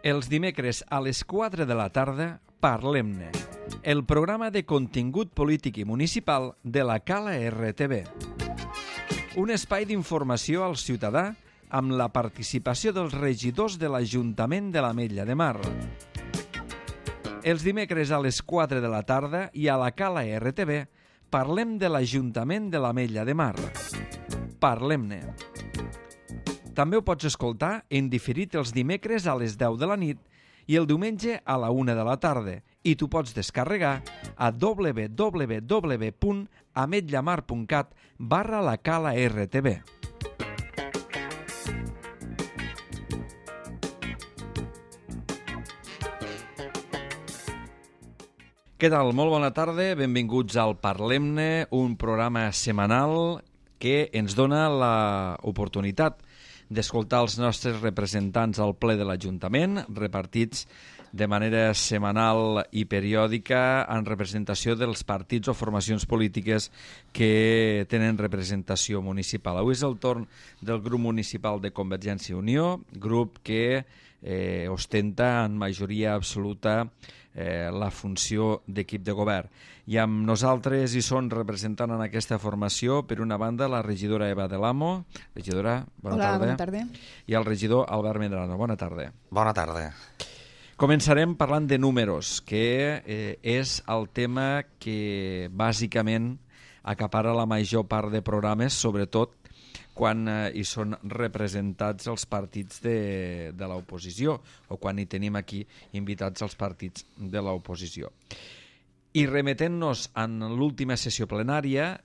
Els dimecres a les 4 de la tarda, Parlem-ne, el programa de contingut polític i municipal de la Cala RTV. Un espai d'informació al ciutadà amb la participació dels regidors de l'Ajuntament de l'Ametlla de Mar. Els dimecres a les 4 de la tarda i a la Cala RTV parlem de l'Ajuntament de l'Ametlla de Mar. Parlem-ne. També ho pots escoltar en diferit els dimecres a les 10 de la nit i el diumenge a la 1 de la tarda i t'ho pots descarregar a www.ametllamar.cat/la Cala RTV. Què tal? Molt bona tarda, benvinguts al Parlem-ne, un programa setmanal que ens dona l'oportunitat d'escoltar els nostres representants al ple de l'Ajuntament, repartits de manera setmanal i periòdica en representació dels partits o formacions polítiques que tenen representació municipal. Avui és el torn del grup municipal de Convergència i Unió, grup que ostenta en majoria absoluta la funció d'equip de govern. I amb nosaltres hi són representant en aquesta formació, per una banda, la regidora Eva de l'Amo. Regidora, bona tarda. Bona tarda. I el regidor Albert Medrano. Bona tarda. Bona tarda. Començarem parlant de números, que és el tema que bàsicament acapara la major part de programes, sobretot quan hi són representats els partits de l'oposició o quan hi tenim aquí invitats els partits de l'oposició. I remetent-nos en l'última sessió plenària,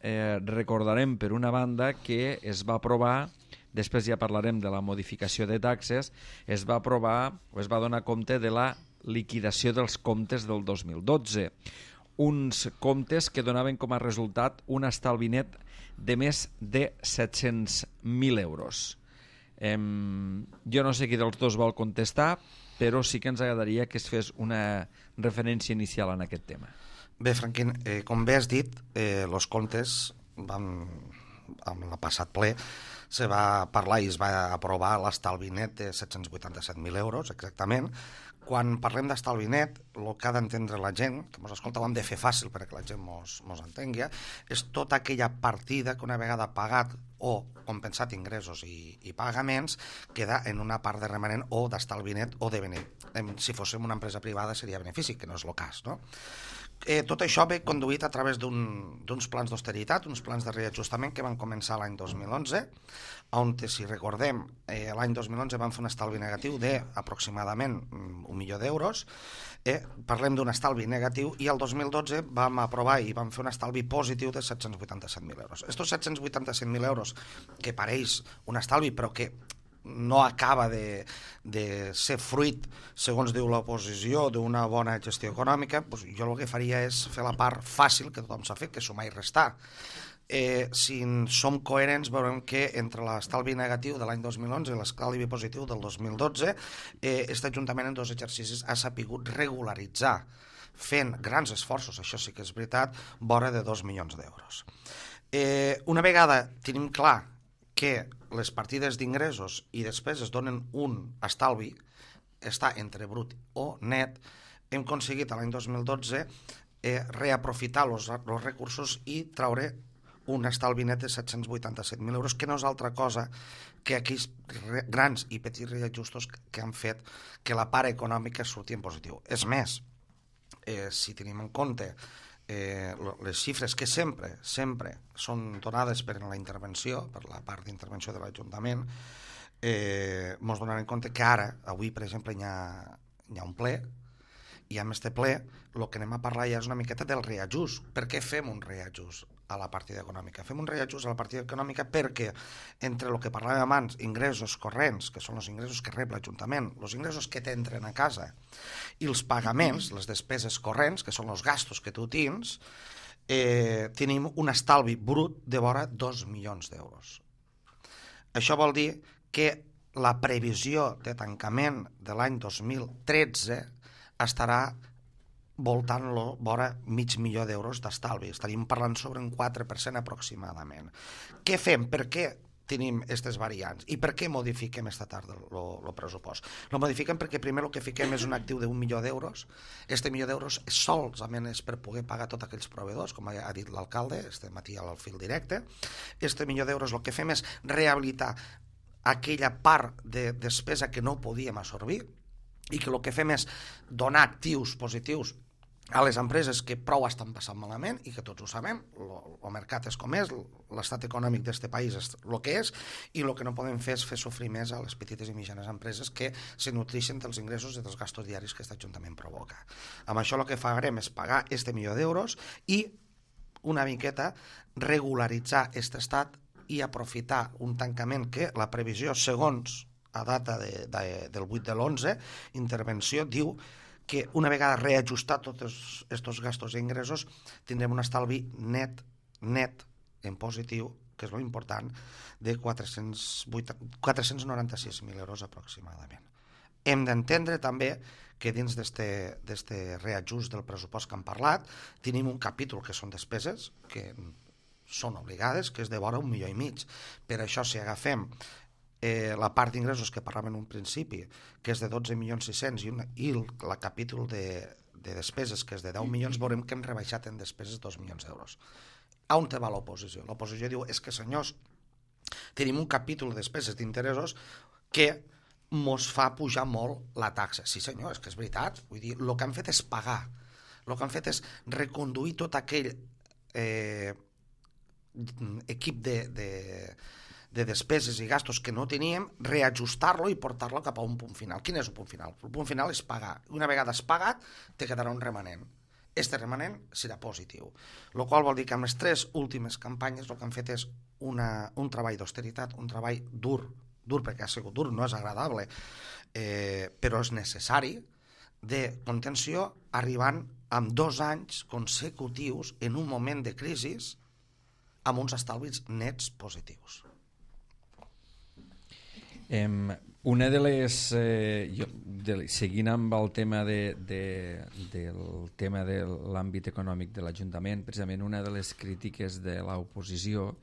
recordarem per una banda que es va aprovar, després ja parlarem de la modificació de taxes, es va aprovar o es va donar compte de la liquidació dels comptes del 2012. Uns comptes que donaven com a resultat un estalvi net de més de 700.000 euros. Jo no sé qui dels dos vol contestar, però sí que ens agradaria que es fes una referència inicial en aquest tema. Bé, Franquín, com bé has dit, els comptes amb el passat ple se va parlar i es va aprovar l'estalvi net de 787.000 euros, exactament. Quan parlem d'estalvi net, el que ha d'entendre la gent, que ens escolta, ho hem de fer fàcil perquè la gent mos entengui, és tota aquella partida que una vegada pagat o compensat ingressos i pagaments queda en una part de remanent o d'estalvi net o de benefici. Si fóssim una empresa privada seria benefici, que no és el cas, no? Tot això ve conduït a través d'uns plans d'austeritat, uns plans de reajustament que van començar l'any 2011, on, si recordem, l'any 2011 van fer un estalvi negatiu d'aproximadament 1 milió d'euros. Parlem d'un estalvi negatiu i el 2012 vam aprovar i vam fer un estalvi positiu de 787.000 euros. Estos 787.000 euros, que pareix un estalvi però que no acaba de ser fruit, segons diu l'oposició, d'una bona gestió econòmica, doncs jo el que faria és fer la part fàcil que tothom s'ha fet, que és sumar i restar. Si som coherents veurem que entre l'estalvi negatiu de l'any 2011 i l'estalvi positiu del 2012 aquest Ajuntament en 2 exercicis ha sapigut regularitzar, fent grans esforços, això sí que és veritat, vora de 2 milions d'euros. Una vegada tenim clar que les partides d'ingressos i despeses donen un estalvi, està entre brut o net, hem aconseguit l'any 2012 reaprofitar els recursos i traure un estalvi net de 787.000 euros, que no és altra cosa que aquells grans i petits reajustos que han fet que la part econòmica surti en positiu. És més, si tenim en compte les xifres que sempre són donades per la intervenció, per la part d'intervenció de l'Ajuntament, ens donem en compte que ara, avui per exemple, hi ha un ple, i amb aquest ple el que anem a parlar ja és una miqueta del reajust. Per què fem un reajust a la partida econòmica? Fem un reajust a la partida econòmica perquè entre el que parlàvem abans, ingressos corrents, que són els ingressos que rep l'Ajuntament, els ingressos que t'entren a casa, i els pagaments, les despeses corrents, que són els gastos que tu tens, tenim un estalvi brut de vora 2 milions d'euros. Això vol dir que la previsió de tancament de l'any 2013 estarà voltant-lo vora mig milió d'euros d'estalvi. Estaríem parlant sobre un 4% aproximadament. Què fem? Per què tenim aquestes variants. I per què modifiquem esta tarda el pressupost? Lo modifiquem perquè primer el que fiquem és un actiu d'1 milió d'euros. Este milió d'euros solament és per poder pagar tots aquells proveïdors, com ha dit l'alcalde, este matí al fil directe. Este milió d'euros el que fem és rehabilitar aquella part de despesa que no podíem absorbir i que el que fem és donar actius positius a les empreses que prou estan passant malament i que tots ho sabem, el mercat és com és, l'estat econòmic d'aquest país és el que és, i el que no podem fer és fer sofrir més a les petites i mitjanes empreses que se nutreixen dels ingressos i dels gastos diaris que aquest Ajuntament provoca. Amb això el que farem és pagar este milió d'euros i una miqueta regularitzar aquest estat i aprofitar un tancament que la previsió, segons a data del 8 de l'11, intervenció, diu que una vegada reajustat tots aquests gastos i ingressos tindrem un estalvi net en positiu, que és lo important, de 496.000 euros aproximadament. Hem d'entendre també que dins d'aquest reajust del pressupost que hem parlat tenim un capítol que són despeses que són obligades, que és de vora 1,5 milions. Per això, si agafem la part d'ingressos que parlàvem en un principi, que és de 12.600.000 i el capítol de despeses, que és de 10 milions, veurem que hem rebaixat en despeses 2 milions d'euros. On te va l'oposició? L'oposició diu, és que senyors, tenim un capítol de despeses d'interessos que mos fa pujar molt la taxa. Sí senyor, és que és veritat. Vull dir, el que han fet és pagar. El que han fet és reconduir tot aquell equip de despeses i gastos que no teníem, reajustar-lo i portar-lo cap a un punt final. Quin és el punt final? El punt final és pagar. Una vegada has pagat, te quedarà un remanent. Este remanent serà positiu. El qual vol dir que amb les 3 últimes campanyes el que han fet és un treball d'austeritat, un treball dur perquè ha sigut dur, no és agradable, però és necessari, de contenció, arribant amb 2 anys consecutius en un moment de crisi amb uns estalvis nets positius. Una de les seguint amb el tema del tema de l'àmbit econòmic de l'Ajuntament, precisament una de les crítiques de l'oposició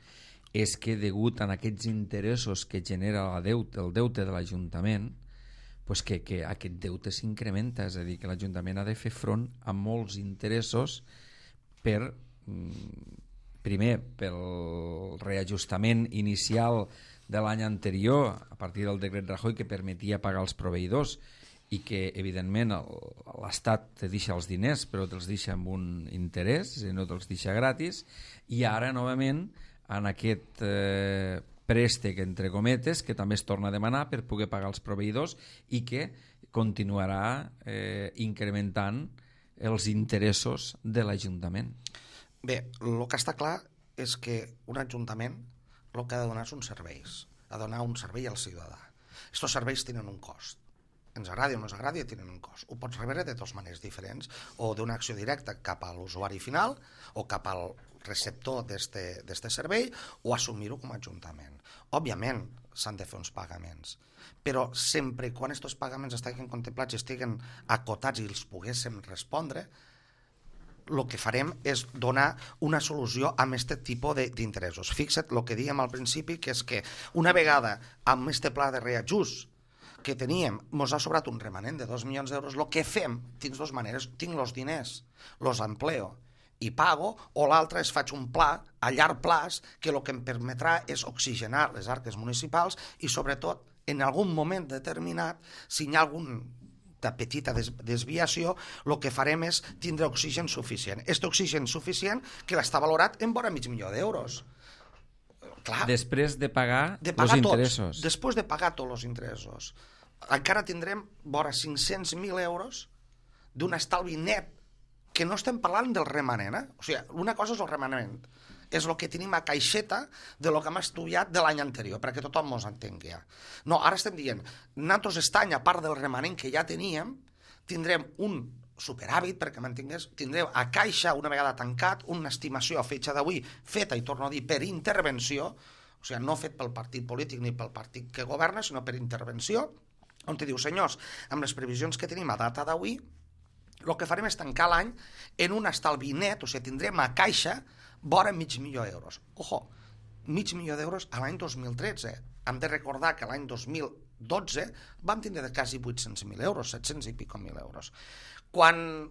és que degut a aquests interessos que genera el deute de l'Ajuntament, pues que aquest deute s'incrementa, és a dir, que l'Ajuntament ha de fer front a molts interessos primer pel reajustament inicial de l'any anterior, a partir del decret Rajoy, que permetia pagar els proveïdors i que, evidentment, l'Estat te deixa els diners, però te'ls deixa amb un interès, no te'ls deixa gratis, i ara, novament, en aquest préstec, entre cometes, que també es torna a demanar per poder pagar els proveïdors i que continuarà incrementant els interessos de l'Ajuntament. Bé, el que està clar és que un Ajuntament el que ha de donar són serveis, ha de donar un servei al ciutadà. Aquests serveis tenen un cost. Ens agradi o no ens agradi, tenen un cost. Ho pots rebre de 2 maneres diferents, o d'una acció directa cap a l'usuari final, o cap al receptor d'este servei, o assumir-ho com a Ajuntament. Òbviament, s'han de fer uns pagaments, però sempre quan aquests pagaments estiguin contemplats i estiguen acotats i els poguéssim respondre, el que farem és donar una solució a aquest tipus d'interessos. Fixa't el que dèiem al principi, que és que una vegada amb aquest pla de reajust que teníem, ens ha sobrat un remanent de 2 milions d'euros, el que fem, tinc 2 maneres, tinc els diners, els empleo i pago, o l'altre és faig un pla a llarg plaç que el que em permetrà és oxigenar les arques municipals i sobretot en algun moment determinat, si hi ha alguna petita desviació, el que farem és tindre oxigen suficient. Aquest oxigen suficient que està valorat en vora $500.000 d'euros. Clar, després de pagar els interessos. Després de pagar tots els interessos. Encara tindrem vora 500.000 euros d'un estalvi net, que no estem parlant del remanent. O sigui, una cosa és el remanent, és el que tenim a caixeta de lo que hem estudiat de l'any anterior, perquè tothom ens entengui. No, ara estem dient, nosaltres aquest any, a part del remanent que ja teníem, tindrem un superàvit, perquè m'entengués, tindrem a caixa, una vegada tancat, una estimació a fetge d'avui, feta, i torno a dir, per intervenció, o sigui, no fet pel partit polític ni pel partit que governa, sinó per intervenció, on te diu, senyors, amb les previsions que tenim a data d'avui, el que farem és tancar l'any en un estalvi net, o sigui, tindrem a caixa vora $500.000. Ojo, d'euros a l'any 2013. Hem de recordar que l'any 2012 vam tindre de quasi 800.000 euros, 700 i pico mil euros. Quan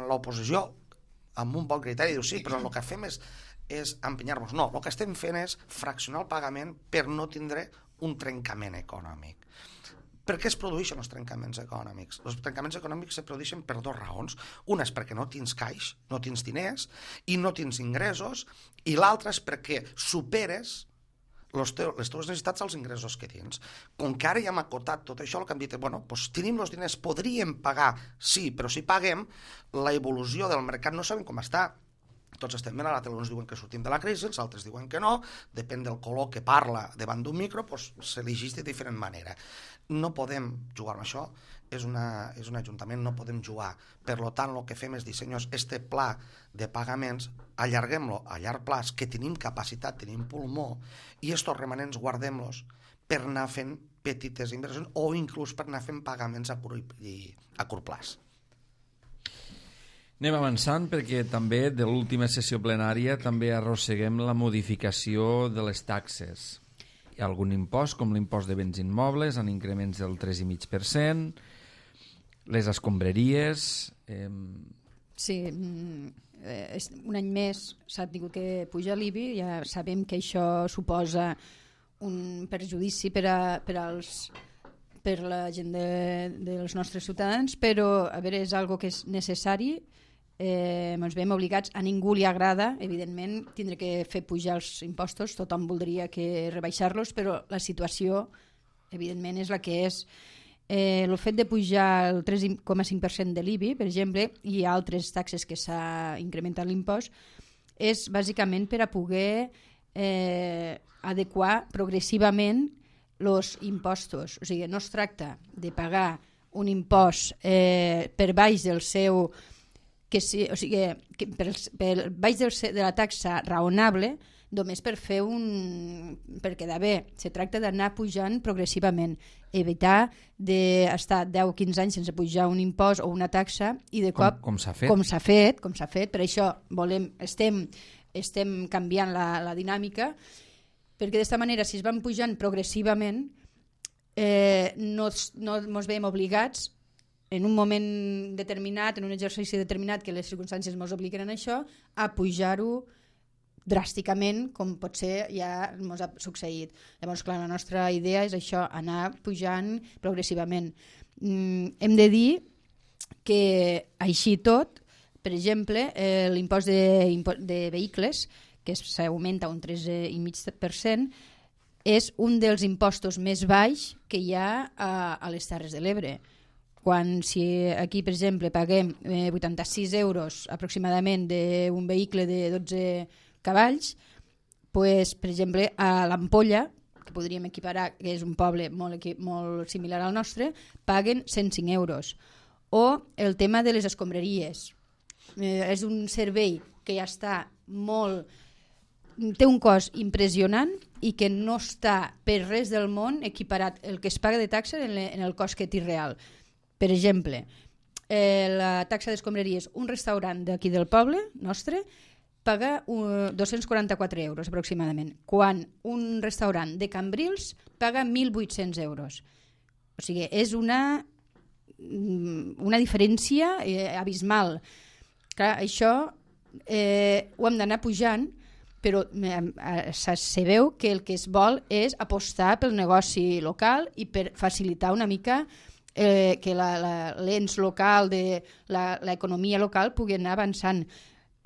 l'oposició, amb un bon criteri, diu sí, però el que fem és empenyar-nos. No, el que estem fent és fraccionar el pagament per no tindre un trencament econòmic. Per què es produeixen els trencaments econòmics? Els trencaments econòmics es produeixen per dues raons. Una és perquè no tens caix, no tens diners i no tens ingressos, i l'altra és perquè superes les teves necessitats als ingressos que tens. Com que ara ja hem acotat tot això, el que hem dit és, bueno, doncs tenim els diners, podríem pagar, sí, però si paguem, la evolució del mercat no sabem com està. Tots estem bé, a la tele uns diuen que sortim de la crisi, els altres diuen que no, depèn del color que parla davant d'un micro, doncs s'elegeix de diferent manera. No podem jugar amb això, és un ajuntament, no podem jugar. Per tant, el que fem és dir, senyors, este pla de pagaments, allarguem-lo a llarg plaç, que tenim capacitat, tenim pulmó, i estos remanents guardem-los per anar fent petites inversions o inclús per anar fent pagaments a curt plaç. Anem avançant perquè també de l'última sessió plenària també arrosseguem la modificació de les taxes. Hi ha algun impost, com l'impost de béns immobles, en increments del 3,5%, les escombraries... Sí, un any més s'ha tingut que pujar l'IBI, ja sabem que això suposa un perjudici per la gent dels nostres ciutadans, però a veure, és algo que és necessari. Ens veiem obligats, a ningú li agrada evidentment tindre que fer pujar els impostos, tothom voldria que rebaixar-los, però la situació evidentment és la que és. El fet de pujar el 3,5% de l'IBI, per exemple, i altres taxes que s'ha incrementat l'impost, és bàsicament per a poder adequar progressivament els impostos. O sigui, no es tracta de pagar un impost per baix del seu... o sigui, per baix de la taxa raonable, només per quedar bé. Se tracta d'anar pujant progressivament, evitar d'estar 10-15 anys sense pujar un impost o una taxa i de cop, com s'ha fet. Per això estem canviant la dinàmica, perquè d'esta manera, si es van pujant progressivament, no ens veiem obligats en un moment determinat, en un exercici determinat, que les circumstàncies ens obliguen a això, a pujar-ho dràsticament, com potser ja ens ha succeït. Llavors, clar, la nostra idea és això, anar pujant progressivament. Hem de dir que així tot, per exemple, l'impost de vehicles, que s'augmenta un 13,5%, és un dels impostos més baix que hi ha a les Terres de l'Ebre. Si aquí, per exemple, paguem 86 euros aproximadament d'un vehicle de 12 cavalls, pues, per exemple, a l'Ampolla, que podríem equiparar, que és un poble molt similar al nostre, paguen 105 euros. O el tema de les escombraries. És un servei que ja està té un cost impressionant i que no està per res del món equiparat el que es paga de taxa en el cost que té real. Per exemple, la taxa d'escombraries, un restaurant d'aquí del poble nostre paga 244 euros aproximadament, quan un restaurant de Cambrils paga 1.800 euros. O sigui, és una diferència abismal. Clar, això ho hem d'anar pujant, però se veu que el que es vol és apostar pel negoci local i per facilitar una mica que l'ens local, l'economia local pugui anar avançant.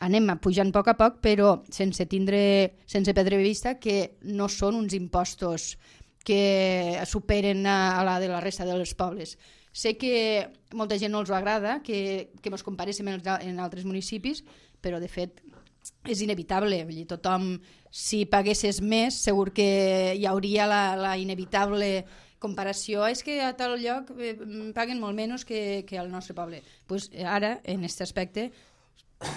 Anem pujant a poc, però sense perdre de vista que no són uns impostos que superen a la de la resta dels pobles. Sé que molta gent no els agrada que ens comparéssim en altres municipis, però de fet és inevitable. Vull dir, tothom, si paguessis més, segur que hi hauria la inevitable comparació. És que a tal lloc paguen molt menys que al nostre poble. Pues ara, en aquest aspecte,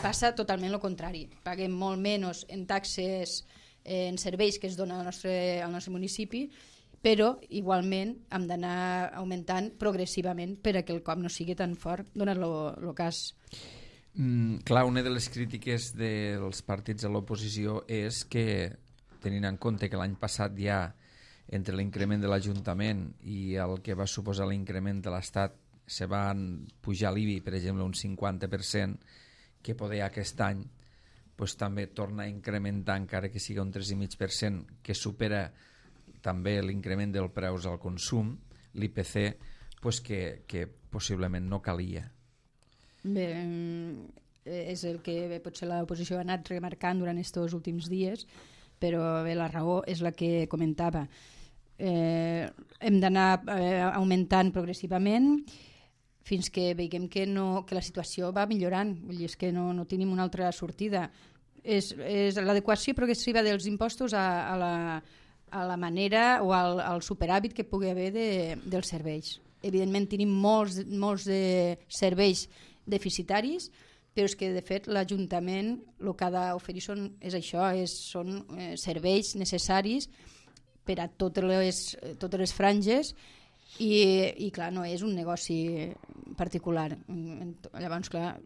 passa totalment el contrari. Paguem molt menys en taxes, en serveis que es donen al nostre municipi, però igualment hem d'anar augmentant progressivament per a que el cop no sigui tan fort, donat el cas. Clar, una de les crítiques dels partits de l'oposició és que tenint en compte que l'any passat ja entre l'increment de l'Ajuntament i el que va suposar l'increment de l'Estat se van pujar l'IBI, per exemple, un 50%, que poder aquest any pues, també torna a incrementar, encara que sigui un 3,5%, que supera també l'increment dels preus al consum, l'IPC, pues, que possiblement no calia. Bé, és el que potser l'oposició ha anat remarcant durant aquests últims dies, però bé, la raó és la que comentava. Hem d'anar augmentant progressivament fins que veiem que la situació va millorant. Vull dir, és que no tenim una altra sortida. És l'adequació progressiva dels impostos a la manera o al superàvit que pugui haver dels serveis. Evidentment tenim molts de serveis deficitaris, però és que de fet l'Ajuntament el que ha d'oferir són serveis necessaris per a totes les franges i clar, no és un negoci particular. Llavors, clar,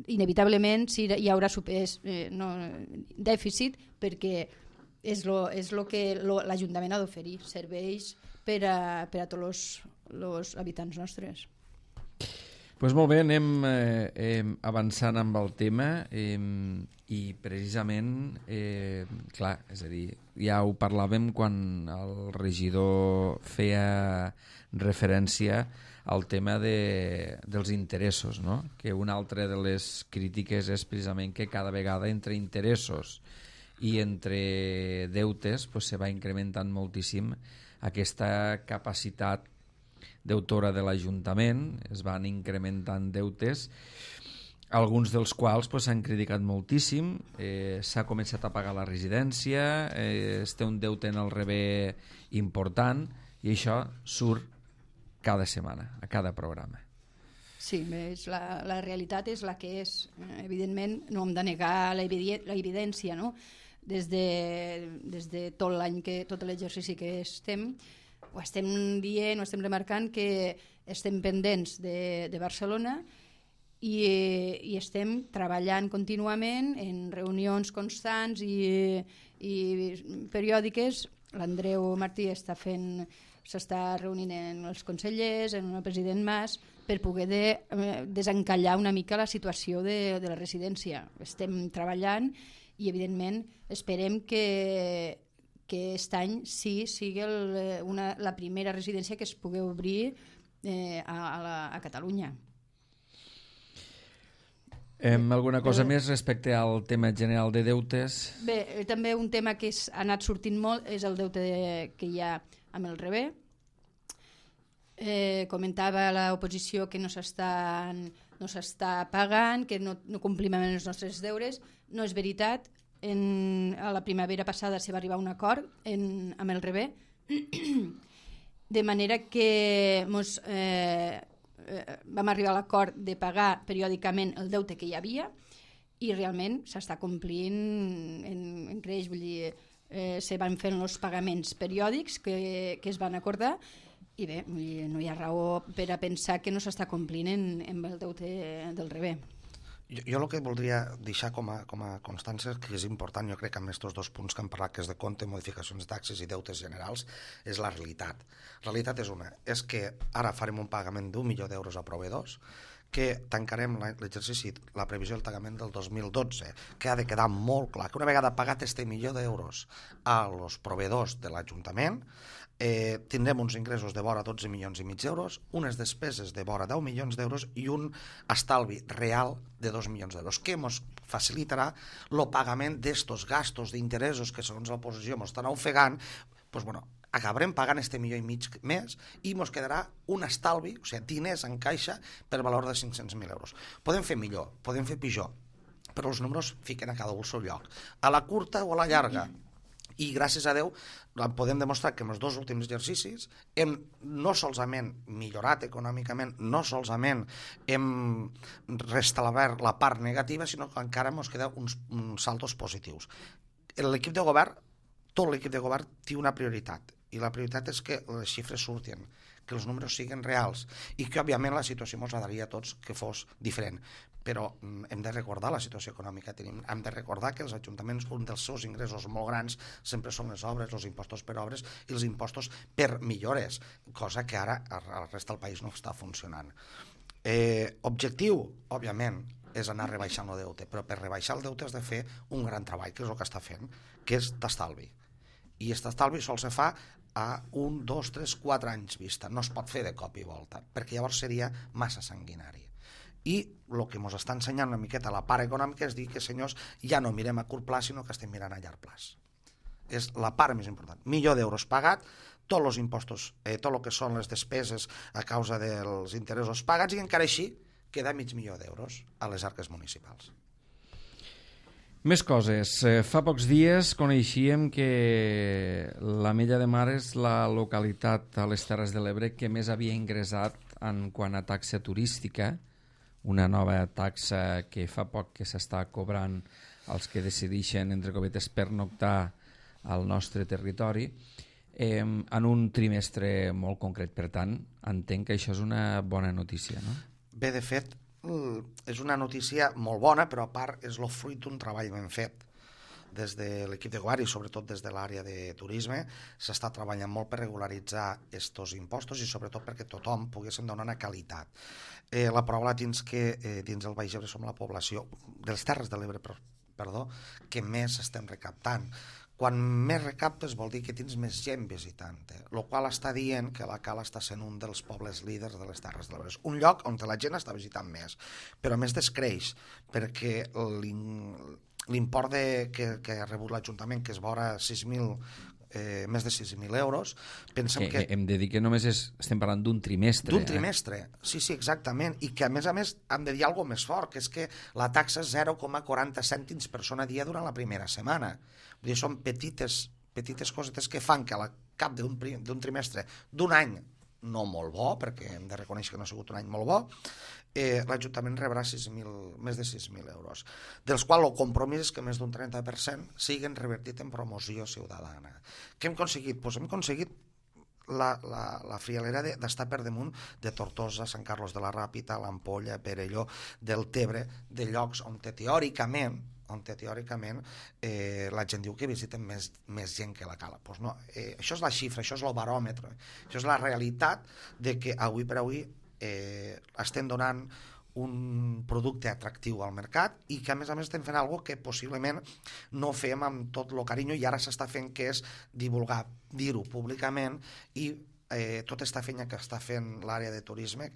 inevitablement hi haurà dèficit perquè és el que l'Ajuntament ha d'oferir, serveis per a tots els habitants nostres. Pues molt bé, anem avançant amb el tema i precisament, clar, és a dir, ja ho parlàvem quan el regidor feia referència al tema dels interessos, no? Que una altra de les crítiques és precisament que cada vegada entre interessos i entre deutes pues, se va incrementant moltíssim aquesta capacitat deutora de l'Ajuntament, es van incrementant deutes, alguns dels quals s'han criticat moltíssim, s'ha començat a pagar la residència, es té un deute en el rebé important i això surt cada setmana, a cada programa. Sí, la realitat és la que és. Evidentment no hem de negar l'evidència, no? Des de tot l'any, tot l'exercici que ho estem dient, ho estem remarcant que estem pendents de Barcelona i estem treballant contínuament en reunions constants i periòdiques. L'Andreu Martí s'està reunint amb els consellers, amb el president Mas, per poder desencallar una mica la situació de la residència. Estem treballant i evidentment esperem que aquest any sí sigui la primera residència que es pugui obrir a Catalunya. Alguna cosa més respecte al tema general de deutes? Bé, també un tema que ha anat sortint molt és el deute que hi ha amb el rebé. Comentava l'oposició que no s'està pagant, que no complim amb els nostres deures. No és veritat. A la primavera passada se va arribar a un acord amb el rebé, de manera que vam arribar a l'acord de pagar periòdicament el deute que hi havia i realment s'està complint en creix, vull dir, se van fent els pagaments periòdics que es van acordar i bé, no hi ha raó per a pensar que no s'està complint amb el deute del rebé. Jo el que voldria deixar com a constància, que és important, jo crec que amb aquests dos punts que hem parlat, que és de compte, modificacions de taxes i deutes generals, és la realitat. La realitat és una, és que ara farem un pagament d'1 milió d'euros a proveïdors, que tancarem l'exercici, la previsió del pagament del 2012, que ha de quedar molt clar, que una vegada pagat este milió d'euros als proveïdors de l'Ajuntament, tindrem uns ingressos de vora 12 milions i mig d'euros, unes despeses de vora 10 milions d'euros i un estalvi real de 2 milions d'euros, que ens facilitarà el pagament d'estos gastos d'interessos que segons l'oposició ens estan ofegant. Doncs, bueno, acabarem pagant este milió i mig més i ens quedarà un estalvi, o sigui, diners en caixa per valor de 500.000 euros. Podem fer millor, podem fer pitjor, però els números fiquen a cada un al seu lloc. A la curta o a la llarga, i gràcies a Déu podem demostrar que en els dos últims exercicis hem no solament millorat econòmicament, no solament hem restablert la part negativa, sinó que encara ens queden uns saltos positius. L'equip de govern, tot l'equip de govern té una prioritat, i la prioritat és que les xifres surtin, que els números siguin reals i que, òbviament, la situació ens agradaria a tots que fos diferent. Però hem de recordar la situació econòmica que tenim, hem de recordar que els ajuntaments, un dels seus ingressos molt grans sempre són les obres, els impostos per obres i els impostos per millores, cosa que ara al resta del país no està funcionant. Objectiu, òbviament, és anar rebaixant el deute, però per rebaixar el deute has de fer un gran treball, que és el que està fent, que és d'estalvi. I aquest estalvi sol se fa a 1, 2, 3, 4 anys vista. No es pot fer de cop i volta, perquè llavors seria massa sanguinari. I el que ens està ensenyant una miqueta la part econòmica és dir que, senyors, ja no mirem a curt plaç, sinó que estem mirant a llarg plaç. És la part més important. Milió d'euros pagat, tots els impostos, tot el que són les despeses a causa dels interessos pagats, i encara així queda mig milió d'euros a les arques municipals. Més coses. Fa pocs dies coneixíem que l'Ametlla de Mar és la localitat a les Terres de l'Ebre que més havia ingressat en quant a taxa turística, una nova taxa que fa poc que s'està cobrant als que decideixen, entre cometes, pernoctar al nostre territori, en un trimestre molt concret. Per tant, entenc que això és una bona notícia, no? Bé, de fet, és una notícia molt bona, però a part és el fruit d'un treball ben fet. Des de l'equip de govern i sobretot des de l'àrea de turisme s'està treballant molt per regularitzar aquests impostos i sobretot perquè tothom poguéssim donar una qualitat. La prova la tens que dins el Baix Ebre som la població de les Terres de l'Ebre, que més estem recaptant. Quan més recaptes vol dir que tens més gent visitant, el qual està dient que la Cala està sent un dels pobles líders de les Terres de l'Ebre. Un lloc on la gent està visitant més, però a més descreix, perquè l'import que ha rebut l'Ajuntament, que és vora més de 6.000 euros, pensem que... Hem de dir que només estem parlant d'un trimestre. D'un trimestre, sí, exactament, i que a més hem de dir alguna cosa més fort, que és que la taxa és 0,40 cèntims per persona dia durant la primera setmana. Vull dir, són petites cosetes que fan que al cap d'un trimestre, d'un any, no molt bo, perquè hem de reconèixer que no ha sigut un any molt bo, l'Ajuntament rebrà més de 6.000 euros, dels quals el compromís és que més d'un 30% siguin revertit en promoció ciutadana. Què hem aconseguit? Doncs hem aconseguit la frialera d'estar per damunt de Tortosa, Sant Carlos de la Ràpita, l'Ampolla, Perelló, del Tebre, de llocs on teòricament la gent diu que visiten més gent que la Cala. Pues no, això és la xifra, això és el baròmetre, això és la realitat de que avui per avui estem donant un producte atractiu al mercat i que a més estem fent alguna cosa que possiblement no fem amb tot el carinyo i ara s'està fent, que és divulgar, dir-ho públicament i tota aquesta feina que està fent l'àrea de turisme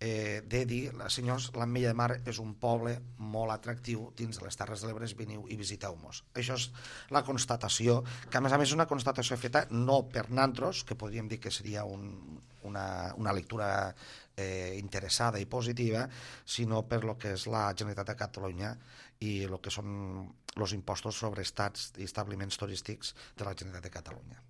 de dir, senyors, l'Ametlla de Mar és un poble molt atractiu dins de les Terres de l'Ebre, veniu i visiteu-nos. Això és la constatació, que a més és una constatació feta no per nosaltres, que podríem dir que seria una lectura interessada i positiva, sinó per lo que és la Generalitat de Catalunya i el que són els impostos sobre estats i establiments turístics de la Generalitat de Catalunya.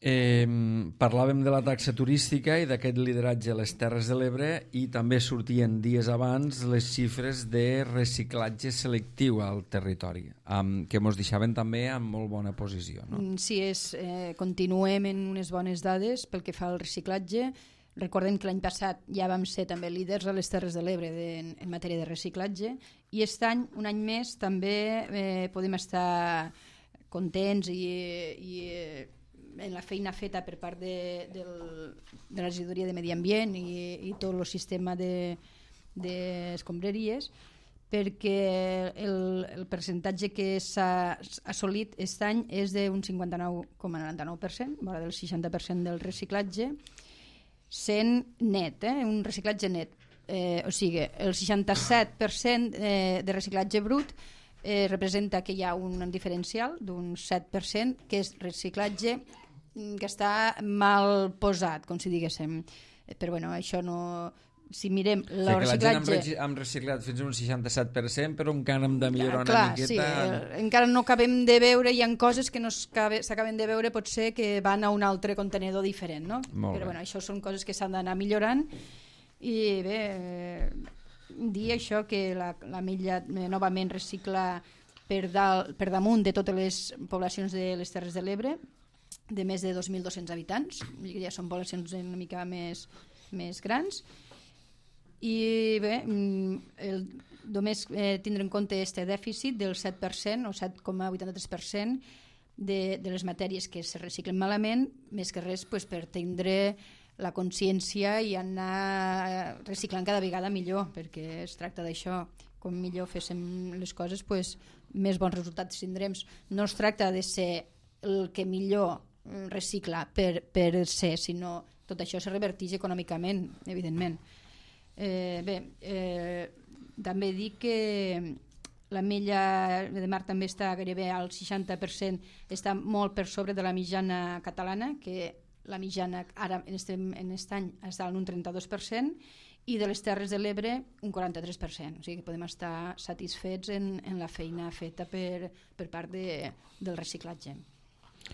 Parlàvem de la taxa turística i d'aquest lideratge a les Terres de l'Ebre i també sortien dies abans les xifres de reciclatge selectiu al territori, que ens deixaven també en molt bona posició, no? Sí, continuem en unes bones dades pel que fa al reciclatge. Recordem que l'any passat ja vam ser també líders a les Terres de l'Ebre en matèria de reciclatge i aquest any, un any més, també podem estar contents i en la feina feta per part de la regidoria de Medi Ambient i tot el sistema d'escombraries, perquè el percentatge que s'ha assolit aquest any és d'un 59,99%, vora del 60% del reciclatge, sent net, un reciclatge net. O sigui, el 67% de reciclatge brut representa que hi ha un diferencial d'un 7%, que és reciclatge que està mal posat, com si diguéssim. Però bueno, això no... Si mirem el reciclatge... La gent hem reciclat fins a un 67%, però encara hem de millorar una miqueta... Sí, encara no acabem de veure, hi ha coses que no s'acaben de veure, potser que van a un altre contenedor diferent, no? Però bueno, això són coses que s'han d'anar millorant i bé, dir això que l'Ametlla novament recicla per damunt de totes les poblacions de les Terres de l'Ebre, de més de 2.200 habitants, ja són poblacions una mica més grans. I bé, només tindre en compte aquest dèficit del 7% o 7,83% de les matèries que se reciclen malament, més que res per tindre la consciència i anar reciclant cada vegada millor, perquè es tracta d'això. Com millor féssim les coses, més bons resultats tindrem. No es tracta de ser el que millor recicla per ser, sinó tot això se reverteix econòmicament, evidentment. També dic que l'ametlla de mar també està gairebé al 60%, està molt per sobre de la mitjana catalana, que la mitjana ara en aquest any està en un 32%, i de les Terres de l'Ebre un 43%. O sigui que podem estar satisfets en la feina feta per part del reciclatge.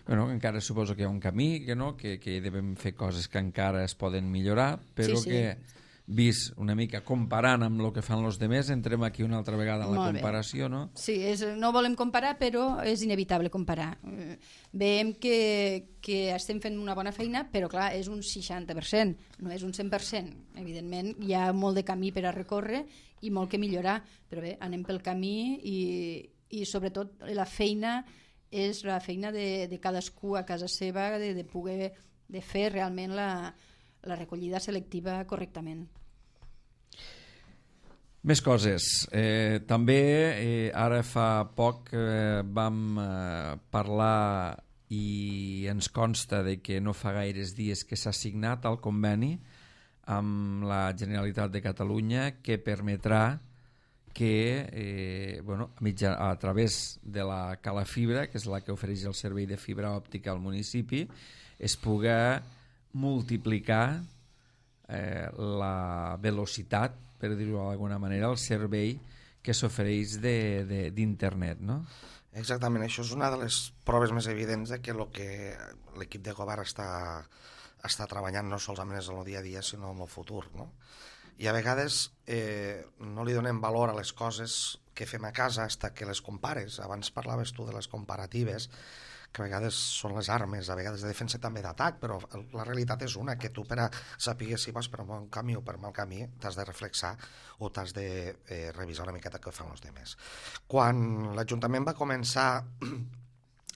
Bueno, encara suposo que hi ha un camí, que devem fer coses que encara es poden millorar, però sí. Que vist una mica comparant amb el que fan els demés, entrem aquí una altra vegada en la comparació, no? Sí, no volem comparar, però és inevitable comparar. Veiem que estem fent una bona feina, però clar, és un 60%, no és un 100%. Evidentment, hi ha molt de camí per a recórrer i molt que millorar, però bé, anem pel camí i sobretot la feina és la feina de cadascú a casa seva, de poder fer realment la recollida selectiva correctament. Més coses. També ara fa poc vam parlar i ens consta de que no fa gaires dies que s'ha signat el conveni amb la Generalitat de Catalunya que permetrà que a través de la Cala Fibra, que és la que ofereix el servei de fibra òptica al municipi, es pugui multiplicar la velocitat, per dir-ho d'alguna manera, el servei que s'ofereix d'internet, no? Exactament, això és una de les proves més evidents de que el que l'equip de govern està treballant no solament en el dia a dia, sinó en el futur, no? I a vegades no li donem valor a les coses que fem a casa fins que les compares. Abans parlaves tu de les comparatives, que a vegades són les armes, a vegades de defensa també d'atac, però la realitat és una, que tu per a saber si vas per un bon camí o per mal camí t'has de reflexar o t'has de revisar una miqueta què fan els altres. Quan l'Ajuntament va començar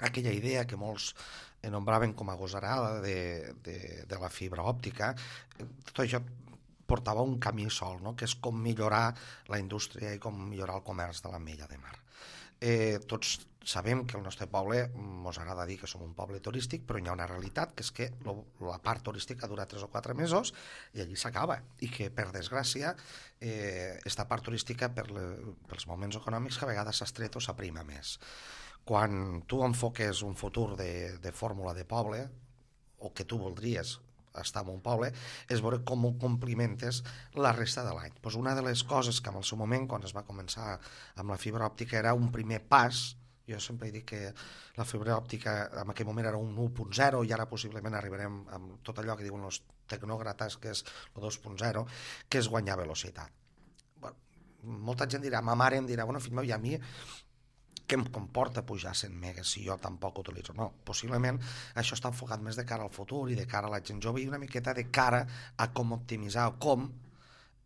aquella idea que molts nombraven com a gosarada de la fibra òptica, tot això portava un camí sol, no? Que és com millorar la indústria i com millorar el comerç de l'ametlla de mar. Tots sabem que el nostre poble, ens agrada dir que som un poble turístic, però hi ha una realitat, que és que la part turística dura 3 o 4 mesos i allí s'acaba, i que per desgràcia esta part turística pels moments econòmics que a vegades s'estreta o s'aprima més. Quan tu enfoques un futur de fórmula de poble, o que tu voldries estar en un poble, és veure com ho complimentes la resta de l'any. Pues una de les coses que en el seu moment, quan es va començar amb la fibra òptica, era un primer pas. Jo sempre dic que la fibra òptica en aquell moment era un 1.0 i ara possiblement arribarem amb tot allò que diuen els tecnòcrates, que és el 2.0, que és guanyar velocitat. Bueno, molta gent dirà, ma mare em dirà, bueno, fill meu, i a mi què em comporta pujar 100 megas si jo tampoc utilitzo? No, possiblement això està enfocat més de cara al futur i de cara a la gent jove i una miqueta de cara a com optimitzar o com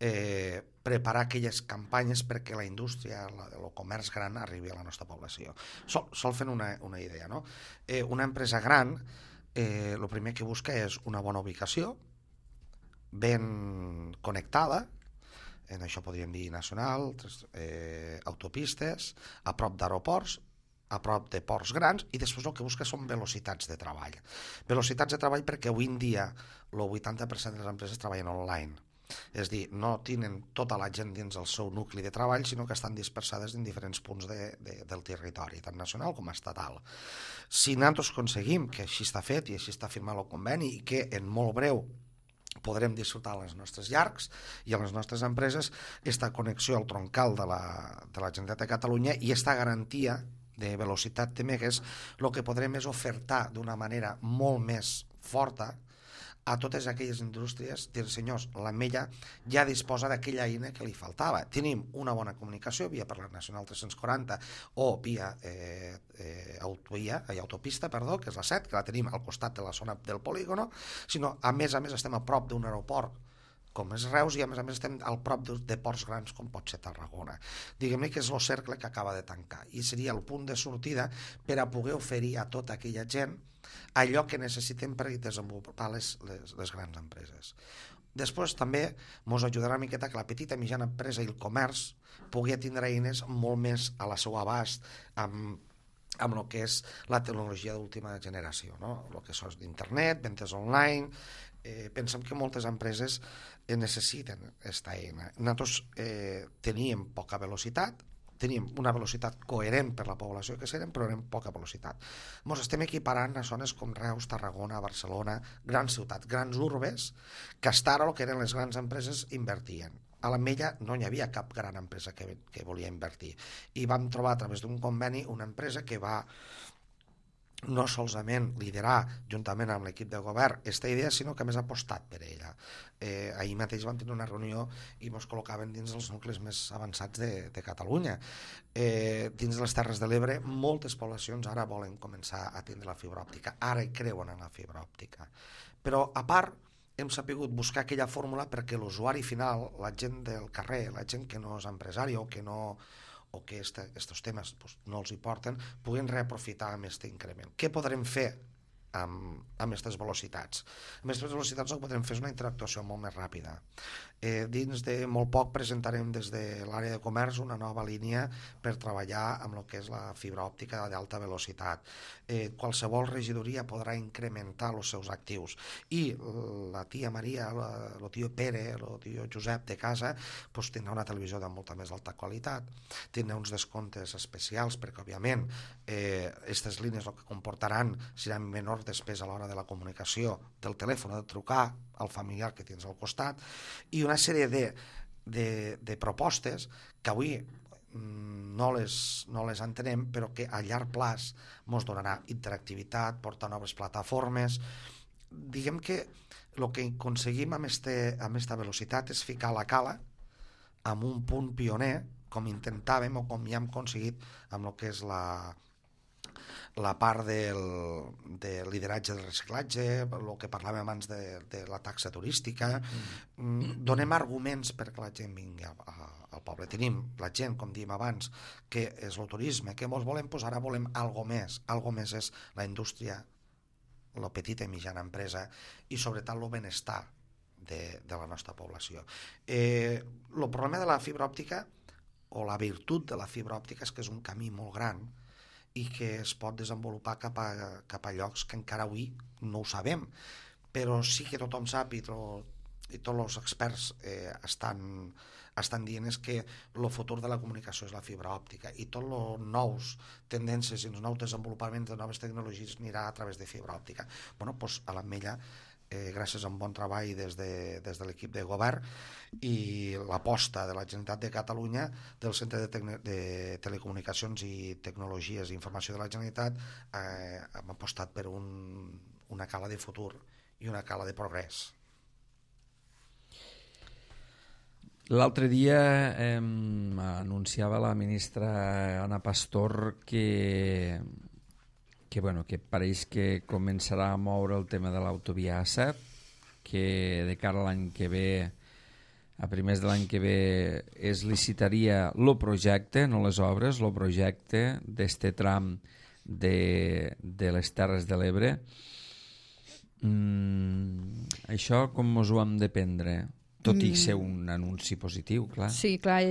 preparar aquelles campanyes perquè la indústria, el comerç gran arribi a la nostra població. Sol fent una idea, no? Una empresa gran el primer que busca és una bona ubicació, ben connectada, en això podríem dir nacional, autopistes, a prop d'aeroports, a prop de ports grans, i després el que busca són velocitats de treball. Velocitats de treball perquè avui en dia el 80% de les empreses treballen online. És dir, no tenen tota la gent dins el seu nucli de treball, sinó que estan dispersades en diferents punts del territori, tant nacional com estatal. Si nosaltres aconseguim que així està fet i així està firmat el conveni i que en molt breu podrem disfrutar a les nostres llars i a les nostres empreses esta connexió al troncal de la Generalitat de Catalunya i esta garantia de velocitat de megas, el que podrem és ofertar d'una manera molt més forta a totes aquelles indústries, dir, senyors, l'Ametlla ja disposa d'aquella eina que li faltava. Tenim una bona comunicació via per la Nacional 340 o via autopista, que és la 7, que la tenim al costat de la zona del polígono, sinó a més estem a prop d'un aeroport com és Reus i a més estem al prop de ports grans com pot ser Tarragona. Diguem-ne que és el cercle que acaba de tancar i seria el punt de sortida per a poder oferir a tota aquella gent allò que necessitem per desenvolupar les grans empreses. Després també ens ajudarà una miqueta que la petita i mitjana empresa i el comerç pugui tindre eines molt més a la seva abast amb el que és la tecnologia d'última generació, no? El que és d'internet, ventes online. Pensem que moltes empreses necessiten aquesta eina. Nosaltres teníem poca velocitat, teníem una velocitat coherent per la població que serem, però érem poca velocitat. Ens estem equiparant a zones com Reus, Tarragona, Barcelona, grans ciutats, grans urbes, que fins ara el que eren les grans empreses invertien. A l'Ametlla no hi havia cap gran empresa que volia invertir. I vam trobar a través d'un conveni una empresa que va no solament liderar juntament amb l'equip de govern aquesta idea, sinó que més ha apostat per ella. Ahir mateix vam tenir una reunió i ens col·locaven dins dels nuclis més avançats de Catalunya. Dins de les Terres de l'Ebre moltes poblacions ara volen començar a tindre la fibra òptica, ara hi creuen en la fibra òptica, però a part hem sabut buscar aquella fórmula perquè l'usuari final, la gent del carrer, la gent que no és empresari o que aquests temes no els hi porten, puguin reaprofitar amb aquest increment. Què podrem fer amb aquestes velocitats? Amb aquestes velocitats el que podrem fer és una interactuació molt més ràpida. Dins de molt poc presentarem des de l'àrea de comerç una nova línia per treballar amb el que és la fibra òptica d'alta velocitat. Qualsevol regidoria podrà incrementar els seus actius i la tia Maria, el tio Pere, el tio Josep de casa tindrà una televisió de molta més alta qualitat, tindrà uns descomptes especials perquè òbviament aquestes línies el que comportaran seran menor despesa a l'hora de la comunicació del telèfon, de trucar al familiar que tens al costat, i una sèrie de propostes que avui no les entenem, però que a llarg plaç ens donarà interactivitat, portar noves plataformes. Diguem que el que aconseguim amb aquesta velocitat és ficar la cala en un punt pioner, com intentàvem o com ja hem aconseguit amb el que és la part del lideratge del reciclatge, el que parlàvem abans de la taxa turística. Donem arguments perquè la gent vingui al poble. Tenim la gent, com dèiem abans, que és el turisme, que ens volem posar, ara volem algo més. Algo més és la indústria, la petita i mitjana empresa i sobretot el benestar de la nostra població. El problema de la fibra òptica o la virtut de la fibra òptica és que és un camí molt gran i que es pot desenvolupar cap a llocs que encara avui no ho sabem, però sí que tothom sap i tots els experts estan dient és que el futur de la comunicació és la fibra òptica i tots els nous tendències i els nous desenvolupaments de noves tecnologies anirà a través de fibra òptica. A l'Ametlla, gràcies a un bon treball des de l'equip de govern i l'aposta de la Generalitat de Catalunya, del Centre de Telecomunicacions i Tecnologies i Informació de la Generalitat, hem apostat per una cala de futur i una cala de progrés. L'altre dia anunciava la ministra Ana Pastor que pareix que començarà a moure el tema de l'autovia A7, que de cara a l'any que ve, a primers de l'any que ve, es licitaria el projecte, no les obres, el projecte d'este tram de les Terres de l'Ebre. Això com ens ho hem de prendre? Tot i ser un anunci positiu, clar. Sí, clar,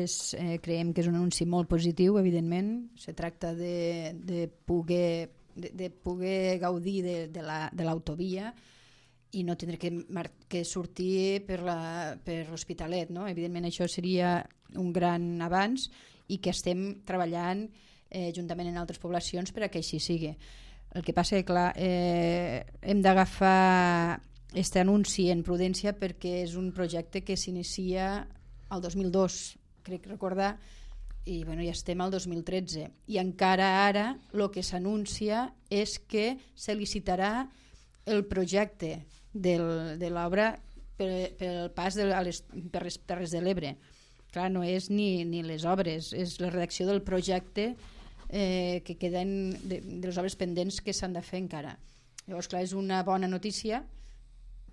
creiem que és un anunci molt positiu, evidentment. Se tracta de poder gaudir de l'autovia i no tindre que sortir per l'Hospitalet, no? Evidentment això seria un gran avanç i que estem treballant juntament en altres poblacions per a que així sigui. El que passa és que, clar, hem d'agafar aquest anunci en prudència perquè és un projecte que s'inicia el 2002, crec recordar, i ja estem al 2013 i encara ara el que s'anuncia és que se licitarà el projecte de l'obra pel pas per les Terres de l'Ebre. Clar, no és ni les obres, és la redacció del projecte que queden de les obres pendents que s'han de fer encara. Llavors, clar, és una bona notícia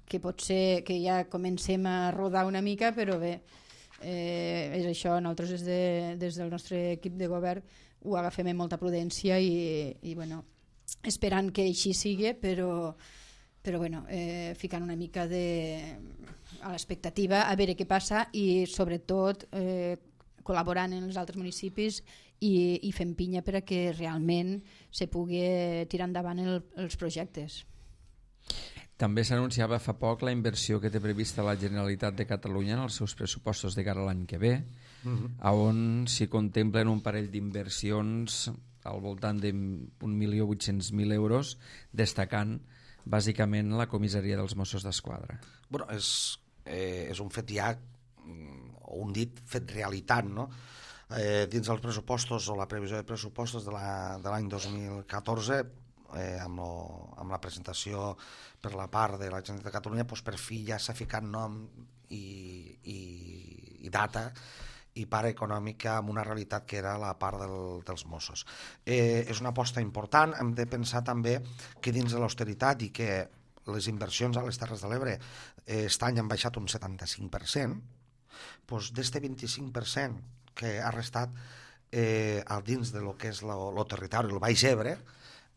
que pot ser que ja comencem a rodar una mica, però bé, és això, nosaltres des del nostre equip de govern ho agafem amb molta prudència i bueno, esperant que així sigui, però bueno, ficant una mica a l'expectativa a veure què passa i sobretot col·laborant en els altres municipis i fent pinya per a que realment se pugui tirar endavant els projectes. També s'anunciava fa poc la inversió que té prevista la Generalitat de Catalunya en els seus pressupostos de cara a l'any que ve, on s'hi contemplen un parell d'inversions al voltant de 1.800.000 euros, destacant bàsicament la comissaria dels Mossos d'Esquadra. Bueno, és un fet ja, o un dit fet realitat, no? Dins dels pressupostos o la previsió de pressupostos de l'any 2014, amb la presentació per la part de la Generalitat de Catalunya, doncs per fi ja s'ha ficat nom i data i part econòmica amb una realitat que era la part dels Mossos. És una aposta important. Hem de pensar també que dins de l'austeritat i que les inversions a les Terres de l'Ebre aquest any han baixat un 75%, doncs d'este 25% que ha restat dins de lo que és el territori, el Baix Ebre,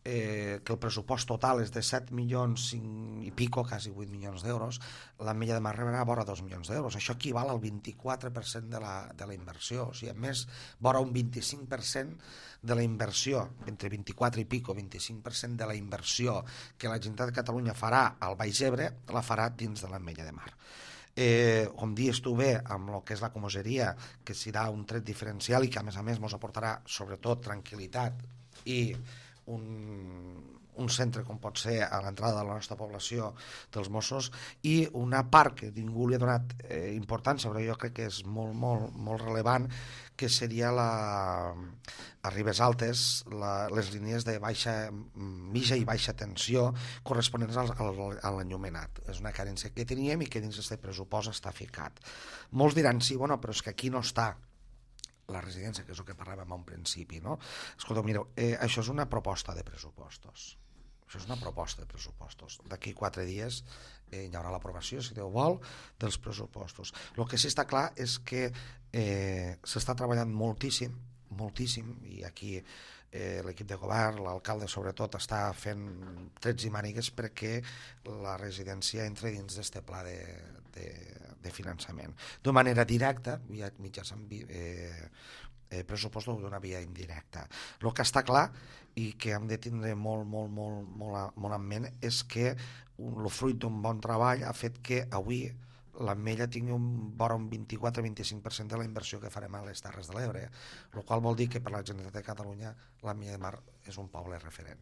que el pressupost total és de 7 milions i pico, quasi 8 milions d'euros, l'Ametlla de Mar rebrà vora 2 milions d'euros. Això equival al 24% de la inversió. O sigui, a més, vora un 25% de la inversió, entre 24 i pico, 25% de la inversió que la Generalitat de Catalunya farà al Baix Ebre, la farà dins de l'Ametlla de Mar. Com dius tu bé, amb el que és la comissaria, que serà un tret diferencial i que a més ens aportarà sobretot tranquil·litat i un centre com pot ser a l'entrada de la nostra població dels Mossos, i una part que ningú li ha donat importància, però jo crec que és molt, molt, molt rellevant, que seria a Ribes Altes les línies de mitja i baixa tensió corresponents a l'enllumenat. És una carència que teníem i que dins d'aquest pressupost està ficat. Molts diran, sí, bueno, però és que aquí no està la residència, que és el que parlàvem a un principi, no? Escolta, mireu, això és una proposta de pressupostos. Això és una proposta de pressupostos. D'aquí 4 dies hi haurà l'aprovació, si Déu vol, dels pressupostos. El que sí està clar és que s'està treballant moltíssim, i aquí l'equip de govern, l'alcalde sobretot, està fent trets i mànigues perquè la residència entri dins d'aquest pla de finançament. D'una manera directa, mitjançant pressupostos d'una via indirecta. El que està clar i que hem de tindre molt en ment és que el fruit d'un bon treball ha fet que avui l'Ametlla tingui vora un 24-25% de la inversió que farem a les Terres de l'Ebre, el qual vol dir que per la Generalitat de Catalunya l'Ametlla de Mar és un poble referent.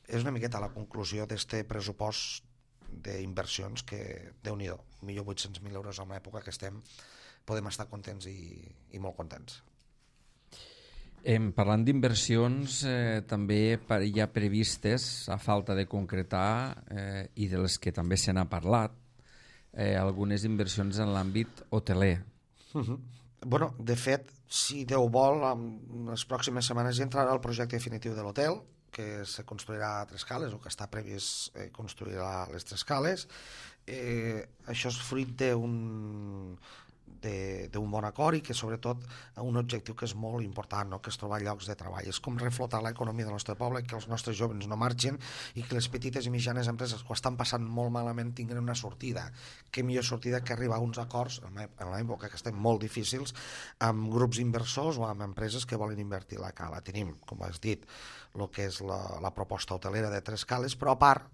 És una miqueta la conclusió d'aquest pressupost d'inversions que, Déu-n'hi-do, 1.800.000 euros en l'època que estem, podem estar contents i molt contents. Parlant d'inversions, també hi ha previstes, a falta de concretar, i de les que també se n'ha parlat, algunes inversions en l'àmbit hoteler. Bueno, de fet, si Déu vol, en les pròximes setmanes ja entrarà el projecte definitiu de l'hotel, que se construirà a 3 cales, o que està previst construir a les 3 cales. Això és fruit d'un bon acord i que sobretot un objectiu que és molt important, no? Que és trobar llocs de treball. És com reflotar l'economia del nostre poble, que els nostres joves no marxin i que les petites i mitjanes empreses que ho estan passant molt malament tinguin una sortida. Què millor sortida que arribar a uns acords en l'època que estem molt difícils amb grups inversors o amb empreses que volen invertir a la cala. Tenim, com has dit, el que és la proposta hotelera de 3 cales, però a part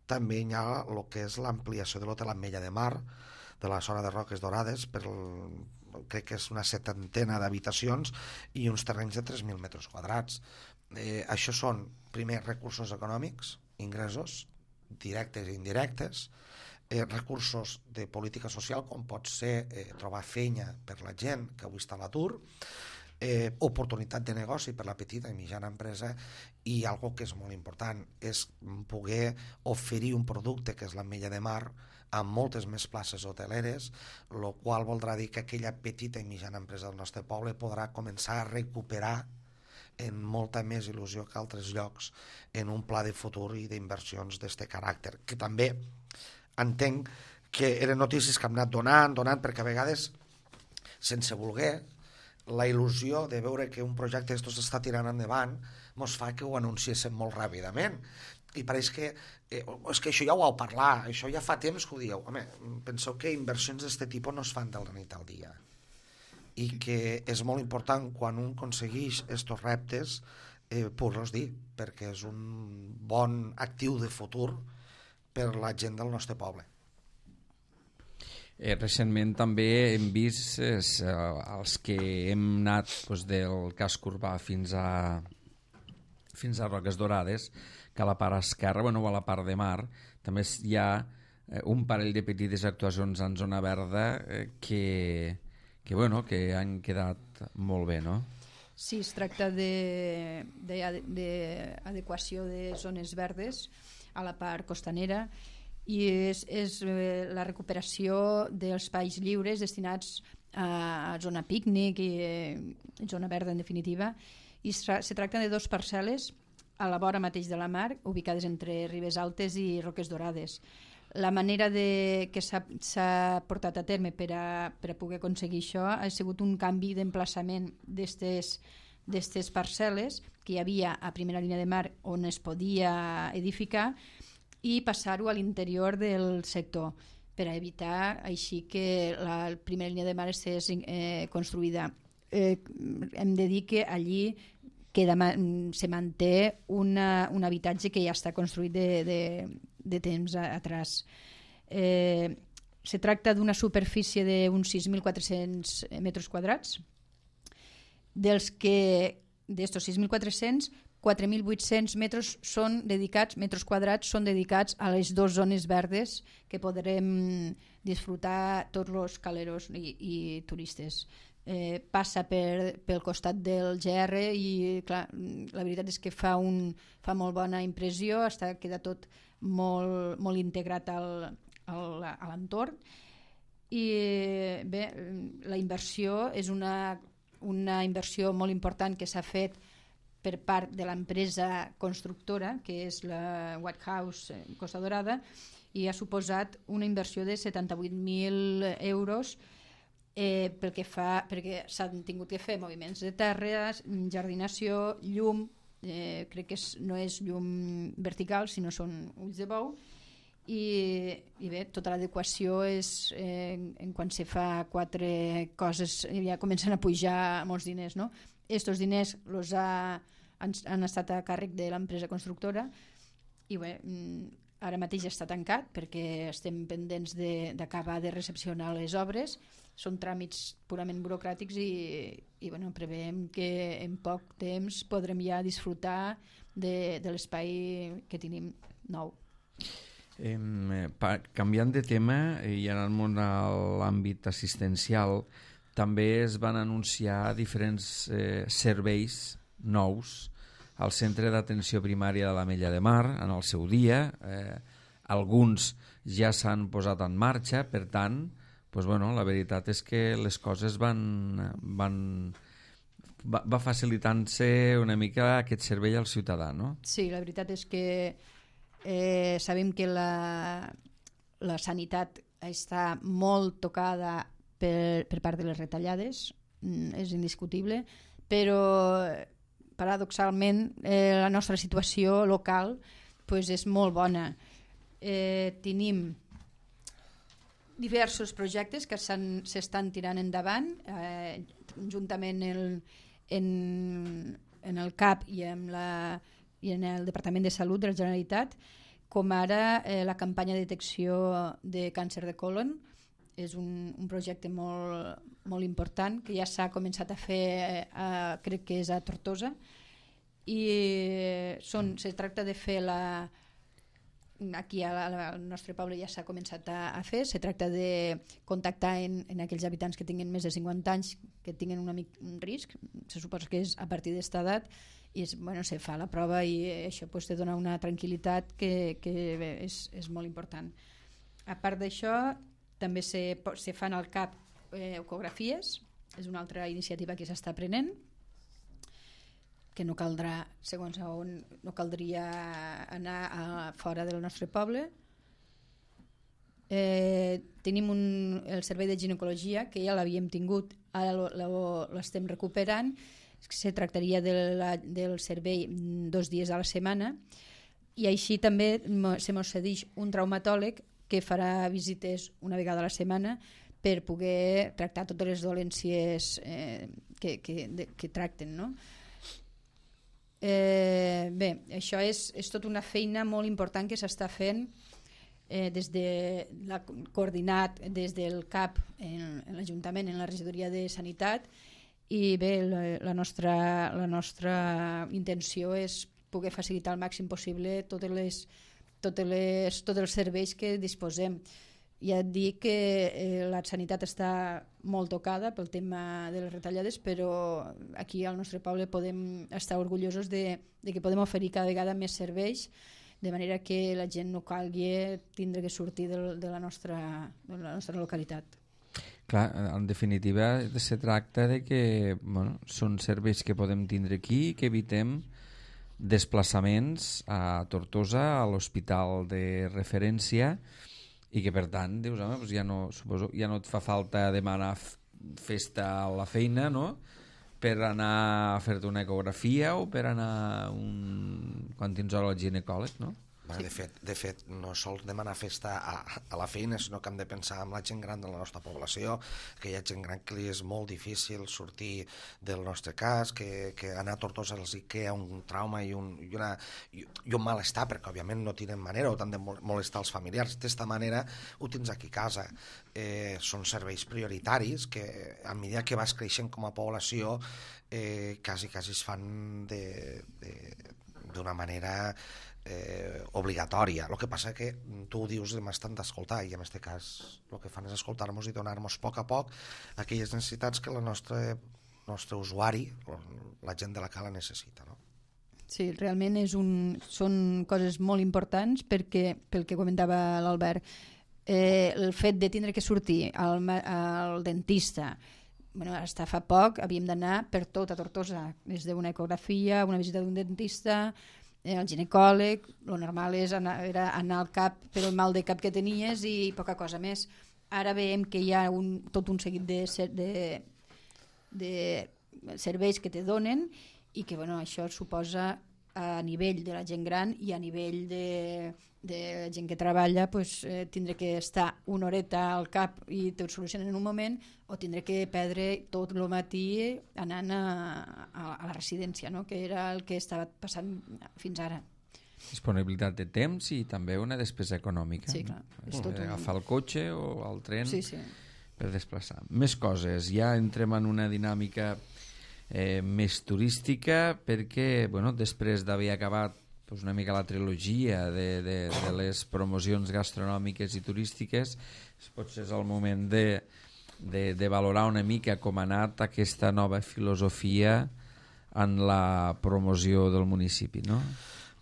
també hi ha el que és l'ampliació de l'hotel Ametlla de Mar, de la zona de Roques Dorades, crec que és una 70ena d'habitacions i uns terrenys de 3.000 metres quadrats. Això són, primer, recursos econòmics, ingressos, directes i indirectes, recursos de política social, com pot ser trobar feina per la gent que avui està a l'atur, oportunitat de negoci per la petita i mitjana empresa, i algo que és molt important és poder oferir un producte que és l'ametlla de mar amb moltes més places hoteleres, el qual voldrà dir que aquella petita i mitjana empresa del nostre poble podrà començar a recuperar en molta més il·lusió que altres llocs en un pla de futur i d'inversions d'aquest caràcter, que també entenc que eren notícies que hem anat donant, perquè a vegades, sense voler, la il·lusió de veure que un projecte d'estos està tirant endavant mos fa que ho anunciéssim molt ràpidament, i pareix que és que això ja ho vau parlar, això ja fa temps que ho dieu. Home, penseu que inversions d'aquest tipus no es fan de la nit al dia, i que és molt important quan un aconsegueix estos reptes poder-los dir, perquè és un bon actiu de futur per la gent del nostre poble. Recentment també hem vist els que hem anat del casc urbà fins a Roques Dorades, que a la part esquerra, o a la part de mar, també hi ha un parell de petites actuacions en zona verda que han quedat molt bé, no? Sí, es tracta d'adequació de zones verdes a la part costanera, i és la recuperació dels espais lliures destinats a zona pícnic i zona verda, en definitiva, i se tracta de 2 parcel·les a la vora mateix de la mar, ubicades entre Ribes Altes i Roques Dorades. La manera que s'ha portat a terme per a poder aconseguir això ha sigut un canvi d'emplaçament d'estes parcel·les que hi havia a primera línia de mar on es podia edificar, i passar-ho a l'interior del sector per a evitar així que la primera línia de mar estés construïda. Hem de dir que allí se manté un habitatge que ja està construït de temps atrás. Se tracta d'una superfície d'uns 6.400 metres quadrats, dels que d'estos 6.400, 4.800 metres quadrats són dedicats a les 2 zones verdes que podrem disfrutar tots els caleros i turistes. Passa pel costat del GR i clar, la veritat és que fa molt bona impressió, queda tot molt integrat a l'entorn, i bé, la inversió és una inversió molt important que s'ha fet per part de l'empresa constructora, que és la White House Costa Dorada, i ha suposat una inversió de 78.000 euros perquè s'han tingut que fer moviments de terres, jardinació, llum, crec que no és llum vertical, sinó són ulls de bou, i bé, tota l'adequació és quan se fa 4 coses ja comencen a pujar molts diners, no? Estos diners han estat a càrrec de l'empresa constructora, i bé, ara mateix està tancat perquè estem pendents d'acabar de recepcionar les obres. Són tràmits purament burocràtics i bueno, preveiem que en poc temps podrem ja disfrutar de l'espai que tenim nou. Canviant de tema i anant a l'àmbit assistencial, també es van anunciar diferents serveis nous al Centre d'Atenció Primària de l'Ametlla de Mar en el seu dia. Alguns ja s'han posat en marxa, per tant, la veritat és que les coses va facilitant-se una mica aquest servei al ciutadà, no? Sí, la veritat és que sabem que la sanitat està molt tocada per part de les retallades, és indiscutible, però paradoxalment la nostra situació local és molt bona. Tenim diversos projectes que s'estan tirant endavant juntament en el CAP i en el Departament de Salut de la Generalitat, com ara la campanya de detecció de càncer de colon. És un projecte molt important que ja s'ha començat a fer, crec que és a Tortosa, i se tracta de fer aquí al nostre poble ja s'ha començat a fer. Se tracta de contactar en aquells habitants que tinguin més de 50 anys, que tinguin un risc, se suposa que és a partir d'esta edat, i se fa la prova i això te dona una tranquil·litat que és molt important. A part d'això, també se fan al CAP ecografies, és una altra iniciativa que s'està prenent, que no caldrà, segons on, no caldria anar fora del nostre poble. Tenim el servei de ginecologia, que ja l'havíem tingut, ara l'estem recuperant. Se tractaria del servei 2 dies a la setmana, i així també se mos cedeix un traumatòleg que farà visites una vegada a la setmana per poder tractar totes les dolències que tracten, no? Bé, això és tota una feina molt important que s'està fent coordinat des del CAP en l'Ajuntament, en la regidoria de Sanitat, i bé, la nostra intenció és poder facilitar al màxim possible tots els serveis que disposem. Ja et dic que la sanitat està molt tocada pel tema de les retallades, però aquí al nostre poble podem estar orgullosos de que podem oferir cada vegada més serveis, de manera que la gent no calgui tindre que sortir de la nostra localitat. Clar, en definitiva se tracta de que són serveis que podem tindre aquí i que evitem desplaçaments a Tortosa, a l'hospital de referència, i que per tant dius, home, doncs ja no et fa falta demanar festa a la feina, no?, per anar a fer-te una ecografia o per anar quan tens hora al ginecòleg, no? Sí. De fet, no sols demanar festa a la feina, sinó que hem de pensar en la gent gran de la nostra població, que hi ha gent gran que li és molt difícil sortir del nostre cas, que anar a Tortosa els crea un trauma i un malestar, perquè òbviament no tenen manera o t'han de molestar els familiars. D'esta manera ho tens aquí a casa. Són serveis prioritaris que a mesura que vas creixent com a població quasi es fan d'una manera obligatòria. El que passa que tu ho dius i m'has tant d'escoltar, i en aquest cas el que fan és escoltar-nos i donar-nos a poc aquelles necessitats que el nostre usuari, la gent de la cala, necessita, no? Sí, realment són coses molt importants, perquè pel que comentava l'Albert, el fet de tindre que sortir al dentista, hasta fa poc havíem d'anar per tota Tortosa, des d'una ecografia, una visita d'un dentista, el ginecòleg. Lo normal era anar al CAP per el mal de cap que tenies i poca cosa més. Ara veiem que hi ha tot un seguit de serveis que te donen, i que això suposa, a nivell de la gent gran i a nivell de gent que treballa, tindre que estar una horeta al CAP i t'ho solucionen en un moment, o tindre que perdre tot el matí anant a la residència, no?, que era el que estava passant fins ara. Disponibilitat de temps i també una despesa econòmica. Sí, clar. Agafar el cotxe o el tren per desplaçar. Més coses. Ja entrem en una dinàmica més turística, perquè després d'haver acabat una mica la trilogia de les promocions gastronòmiques i turístiques, potser és el moment de valorar una mica com ha anat aquesta nova filosofia en la promoció del municipi, no?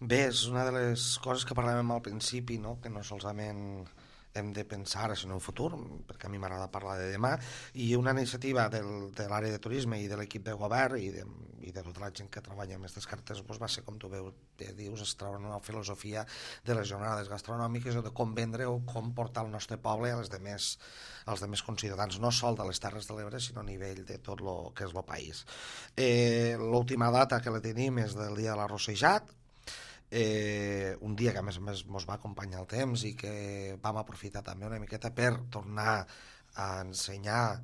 Bé, és una de les coses que parlàvem al principi, no?, que no solament hem de pensar ara en el futur, perquè a mi m'agrada parlar de demà, i una iniciativa de l'àrea de turisme i de l'equip de govern i de tota la gent que treballa amb aquestes cartes va ser, com tu dius, es treure una filosofia de les jornades gastronòmiques o de com vendre o com portar el nostre poble als demés conciutadans, no sol de les Terres de l'Ebre, sinó a nivell de tot el que és el país. L'última data que la tenim és del dia de l'arrossejat, un dia que a més a més ens va acompanyar el temps i que vam aprofitar també una miqueta per tornar a ensenyar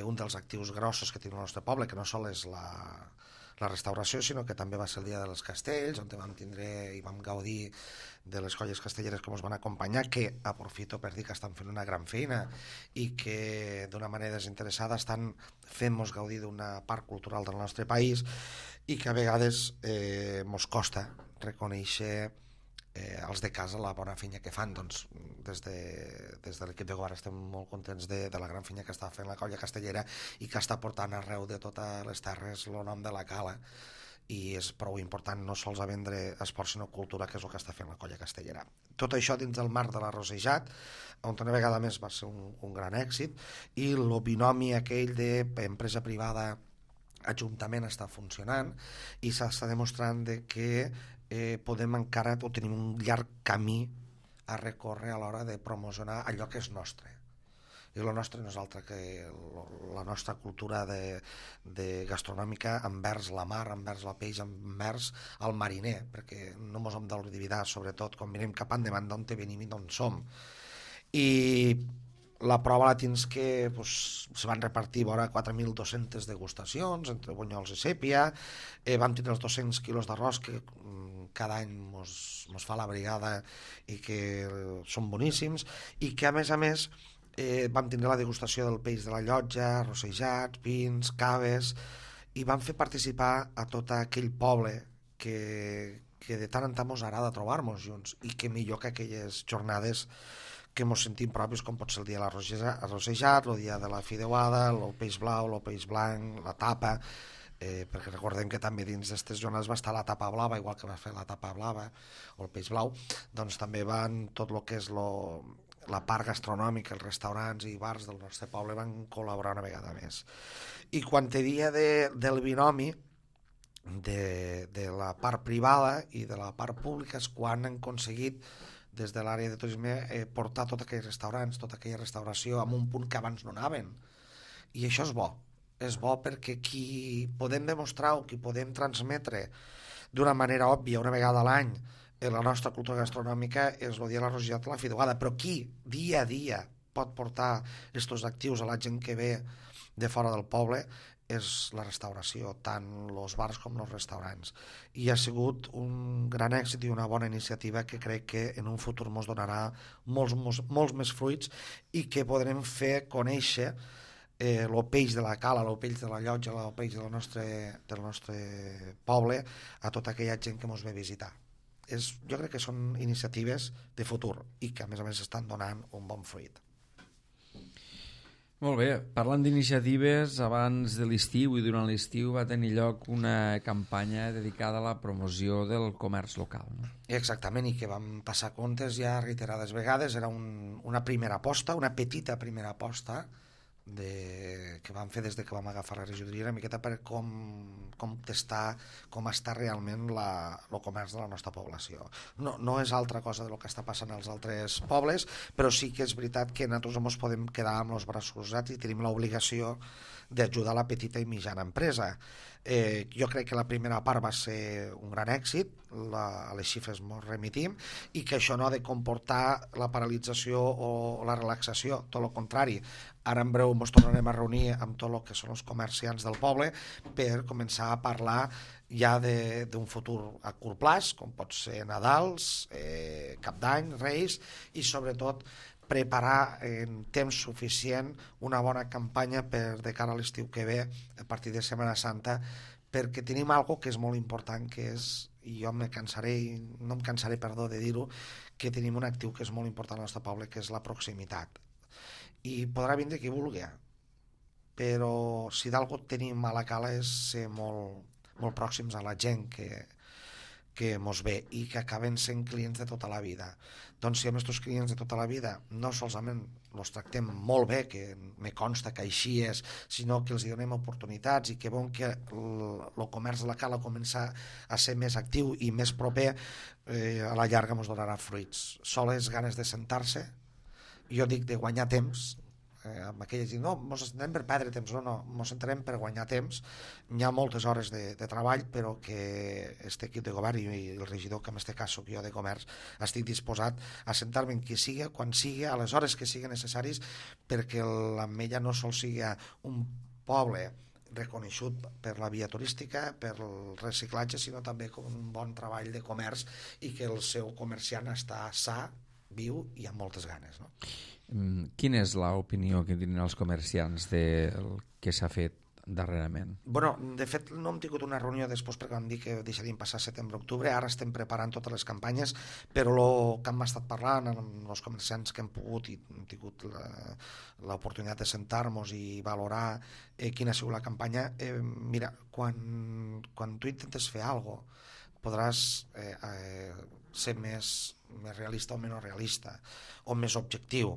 un dels actius grossos que té el nostre poble, que no sol és la restauració, sinó que també va ser el dia dels castells, on vam tindre i vam gaudir de les colles castelleres que ens van acompanyar, que aprofito per dir que estan fent una gran feina i que d'una manera desinteressada estan fent-nos gaudir d'una part cultural del nostre país, i que a vegades ens costa reconèixer els de casa la bona feina que fan. Doncs des de l'equip de govern estem molt contents de la gran feina que està fent la colla castellera i que està portant arreu de totes les terres el nom de la cala, i és prou important no sols a vendre esport sinó cultura, que és el que està fent la colla castellera. Tot això dins del marc de l'arrossejat, on una vegada més va ser un gran èxit, i el binomi aquell d'empresa privada ajuntament està funcionant, i s'està demostrant que podem encara o tenim un llarg camí a recórrer a l'hora de promocionar allò que és nostre. I el nostre no és altre que la nostra cultura de gastronòmica envers la mar, envers la peix, envers el mariner, perquè no ens hem d'oblidar, sobretot quan mirem cap endavant, d'on venim i d'on som. I la prova la tens que se van repartir vora 4.200 degustacions entre bunyols i sèpia, vam tenir els 200 quilos d'arròs que cada any mos fa la brigada i que són boníssims, i que a més vam tenir la degustació del peix de la llotja, arrossejats, pins, caves, i vam fer participar a tot aquell poble que de tant en tant mos agrada trobar-nos junts, i que millor que aquelles jornades que ens sentim propis, com pot ser el dia de l'arrossejat, el dia de la fideuada, el peix blau, el peix blanc, la tapa, perquè recordem que també dins d'aquestes jornades va estar la tapa blava, igual que va fer la tapa blava o el peix blau, doncs també van tot el que és la part gastronòmica, els restaurants i bars del nostre poble van col·laborar una vegada més. I quan te dia del binomi de la part privada i de la part pública és quan han aconseguit des de l'àrea de turisme portar tots aquells restaurants, tota aquella restauració a un punt que abans no anaven. I això és bo perquè qui podem demostrar o qui podem transmetre d'una manera òbvia una vegada a l'any la nostra cultura gastronòmica és el dia de l'arrossejat i la fideuada, però qui dia a dia pot portar aquests actius a la gent que ve de fora del poble és la restauració, tant els bars com els restaurants. I ha sigut un gran èxit i una bona iniciativa que crec que en un futur ens donarà molts més fruits i que podrem fer conèixer el peix de la cala, el peix de la llotja, el peix del nostre poble a tota aquella gent que ens ve a visitar. Jo crec que són iniciatives de futur i que a més estan donant un bon fruit. Molt bé, parlant d'iniciatives, abans de l'estiu i durant l'estiu va tenir lloc una campanya dedicada a la promoció del comerç local, no? Exactament, i que vam passar comptes ja reiterades vegades. Era una primera aposta, una petita primera aposta que vam fer des que vam agafar la regidoria, una miqueta per com testar com està realment el comerç de la nostra població. No és altra cosa del que està passant als altres pobles, però sí que és veritat que nosaltres no ens podem quedar amb els braços cruzats i tenim l'obligació d'ajudar la petita i mitjana empresa. Jo crec que la primera part va ser un gran èxit, a les xifres ens remitim, i que això no ha de comportar la paralització o la relaxació, tot el contrari. Ara en breu ens tornarem a reunir amb tot el que són els comerciants del poble per començar a parlar ja d'un futur a curt plaç, com pot ser Nadals, Cap d'Any, Reis, i sobretot preparar en temps suficient una bona campanya per de cara a l'estiu que ve, a partir de Setmana Santa, perquè tenim algo que és molt important, que és, i jo no em cansaré de dir-ho, que tenim un actiu que és molt important al nostre poble, que és la proximitat. I podrà vindre qui vulgui, però si d'algú tenim a la cala és ser molt pròxims a la gent que mos ve i que acaben sent clients de tota la vida. Doncs si amb aquests clients de tota la vida no solament els tractem molt bé, que me consta que així és, sinó que els donem oportunitats i que veuen que el comerç de la cala comença a ser més actiu i més proper, a la llarga ens donarà fruits. Soles ganes de sentar-se, jo dic de guanyar temps, amb aquelles diuen, no, ens sentarem per perdre temps, no, ens sentarem per guanyar temps. Hi ha moltes hores de treball, però que aquest equip de govern i el regidor, que en aquest cas soc jo de comerç, estic disposat a sentar-me en qui sigui, quan sigui, a les hores que siguin necessaris, perquè l'Ametlla no sol sigui un poble reconeixut per la via turística, per el reciclatge, sinó també com un bon treball de comerç i que el seu comerciant està sa, viu i amb moltes ganes, no? Quina és l'opinió que tenen els comerciants del que s'ha fet darrerament? Bueno, de fet no hem tingut una reunió després perquè vam dir que deixaríem passar setembre-octubre, ara estem preparant totes les campanyes, però el que hem estat parlant amb els comerciants que hem pogut i hem tingut l'oportunitat de sentar-nos i valorar quina ha sigut la campanya, mira, quan tu intentes fer alguna cosa podràs ser més realista o menys realista o més objectiu,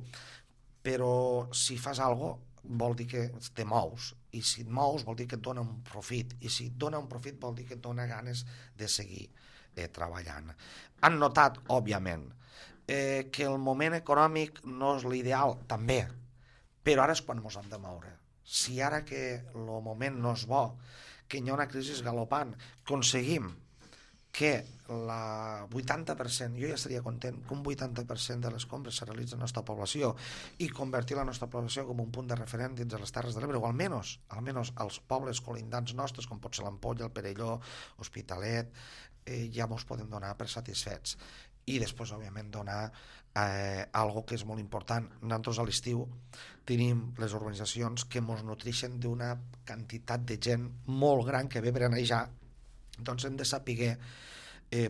però si fas alguna cosa vol dir que te mous, i si et mous vol dir que et dona un profit, i si et dona un profit vol dir que et dona ganes de seguir treballant. Han notat, òbviament, que el moment econòmic no és l'ideal, també, però ara és quan ens hem de moure. Si ara que el moment no és bo, que hi ha una crisi galopant, aconseguim que el 80%, jo ja estaria content que un 80% de les compres se realitzen a la nostra població i convertir la nostra població com un punt de referent dins de les Terres de l'Ebre, o almenys als pobles colindants nostres, com pot ser l'Ampolla, el Perelló, Hospitalet, ja ens podem donar per satisfets. I després, òbviament, donar algo que és molt important. Nosaltres a l'estiu tenim les urbanitzacions que ens nutreixen d'una quantitat de gent molt gran que ve per anejar. Doncs hem de saber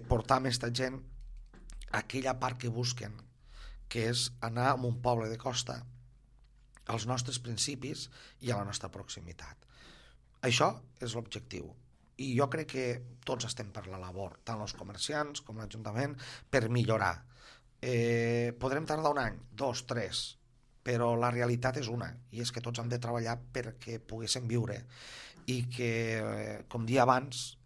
portar amb aquesta gent a aquella part que busquen, que és anar a un poble de costa als nostres principis i a la nostra proximitat. Això és l'objectiu. I jo crec que tots estem per la labor, tant els comerciants com l'Ajuntament, per millorar. Podrem tardar un any, 2, 3, però la realitat és una, i és que tots hem de treballar perquè poguéssim viure i que, com dia abans,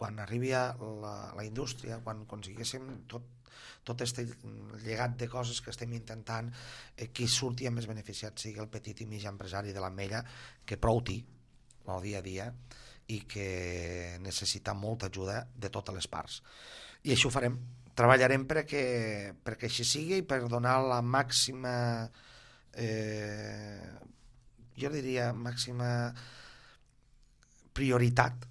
quan arribi la indústria, quan aconseguíssim tot aquest llegat de coses que estem intentant, qui surti més beneficiat sigui el petit i mig empresari de l'Ametlla, que prou té el dia a dia i que necessita molta ajuda de totes les parts. I això ho farem. Treballarem perquè així sigui i per donar la màxima, jo diria, màxima prioritat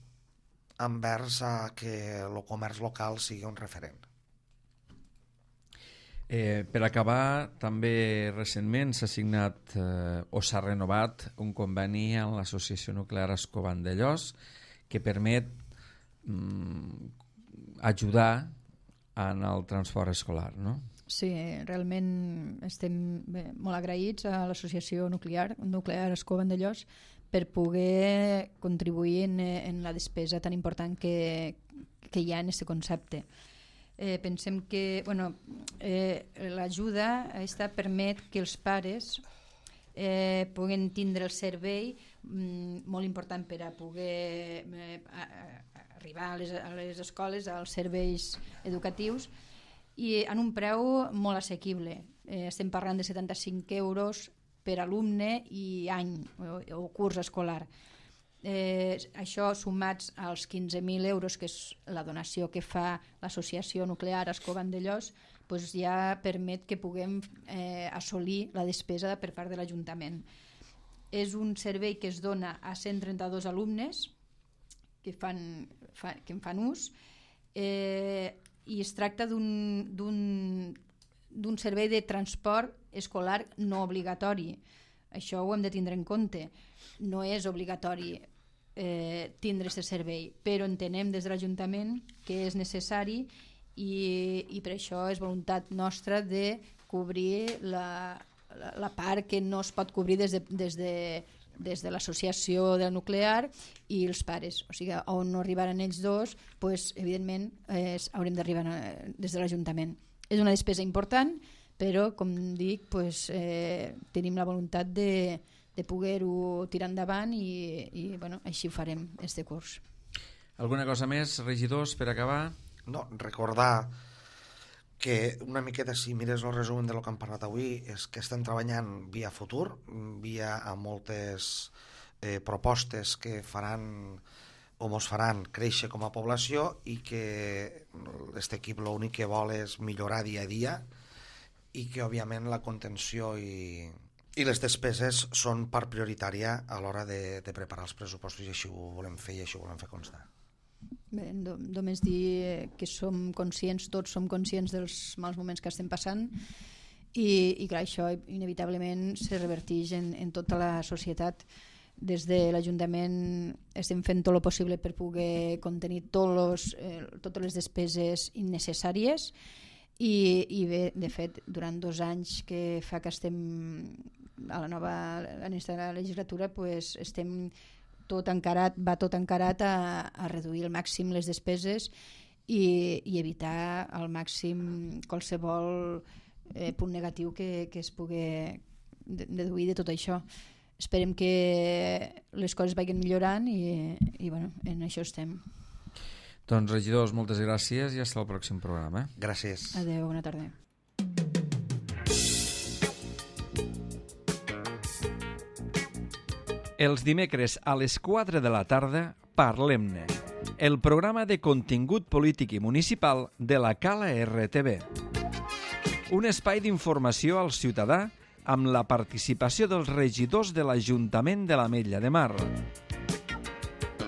envers que el comerç local sigui un referent. Per acabar, també recentment s'ha signat o s'ha renovat un conveni amb l'Associació Nuclear Ascó Vandellòs que permet ajudar en el transport escolar, no? Sí, realment estem molt agraïts a l'Associació Nuclear Ascó Vandellòs per poder contribuir en la despesa tan important que hi ha en aquest concepte. Pensem que l'ajuda permet que els pares puguen tindre el servei molt important per a poder arribar a les escoles, als serveis educatius, i en un preu molt assequible. Estem parlant de 75 euros per alumne i any o curs escolar. Això sumats als 15.000 euros, que és la donació que fa l'Associació Nuclear Ascó Vandellòs, ja permet que puguem assolir la despesa per part de l'Ajuntament. És un servei que es dona a 132 alumnes que en fan ús, i es tracta d'un servei de transport escolar no obligatori. Això ho hem de tindre en compte. No és obligatori tindre aquest servei, però entenem des de l'Ajuntament que és necessari i per això és voluntat nostra de cobrir la part que no es pot cobrir des de l'associació del nuclear i els pares. O sigui, on no arribaran ells dos, evidentment haurem d'arribar des de l'Ajuntament. És una despesa important, però, com dic, tenim la voluntat de poder-ho tirar endavant i així ho farem, este curs. Alguna cosa més, regidors, per acabar? No, recordar que una miqueta, si mires el resum del que hem parlat avui, és que estem treballant via futur, via a moltes propostes que faran o ens faran créixer com a població, i que aquest equip l'únic que vol és millorar dia a dia, i que òbviament la contenció i les despeses són part prioritària a l'hora de preparar els pressupostos, i així ho volem fer i així ho volem fer constar. Bé, només dir que tots som conscients dels mals moments que estem passant i clar, això inevitablement se reverteix en tota la societat. des de l'Ajuntament estem fent tot el possible per poder contenir totes les despeses innecessàries i bé, de fet, durant 2 anys que fa que estem a la legislatura, pues, estem va tot encarat a reduir al màxim les despeses i evitar al màxim qualsevol punt negatiu que es pugui deduir de tot això. Esperem que les coses vagin millorant i bueno, en això estem. Doncs, regidors, moltes gràcies i fins al pròxim programa. Gràcies. Adéu, bona tarda. Els dimecres a les 4 de la tarda, Parlem-ne, el programa de contingut polític i municipal de la Cala RTV. Un espai d'informació al ciutadà amb la participació dels regidors de l'Ajuntament de l'Ametlla de Mar.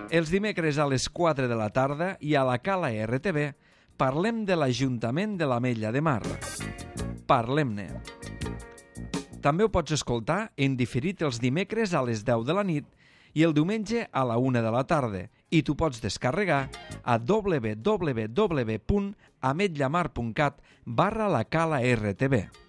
Els dimecres a les 4 de la tarda i a la Cala RTV parlem de l'Ajuntament de l'Ametlla de Mar. Parlem-ne. També ho pots escoltar en diferit els dimecres a les 10 de la nit i el diumenge a la 1 de la tarda i t'ho pots descarregar a www.ametllamar.cat/la Cala RTV.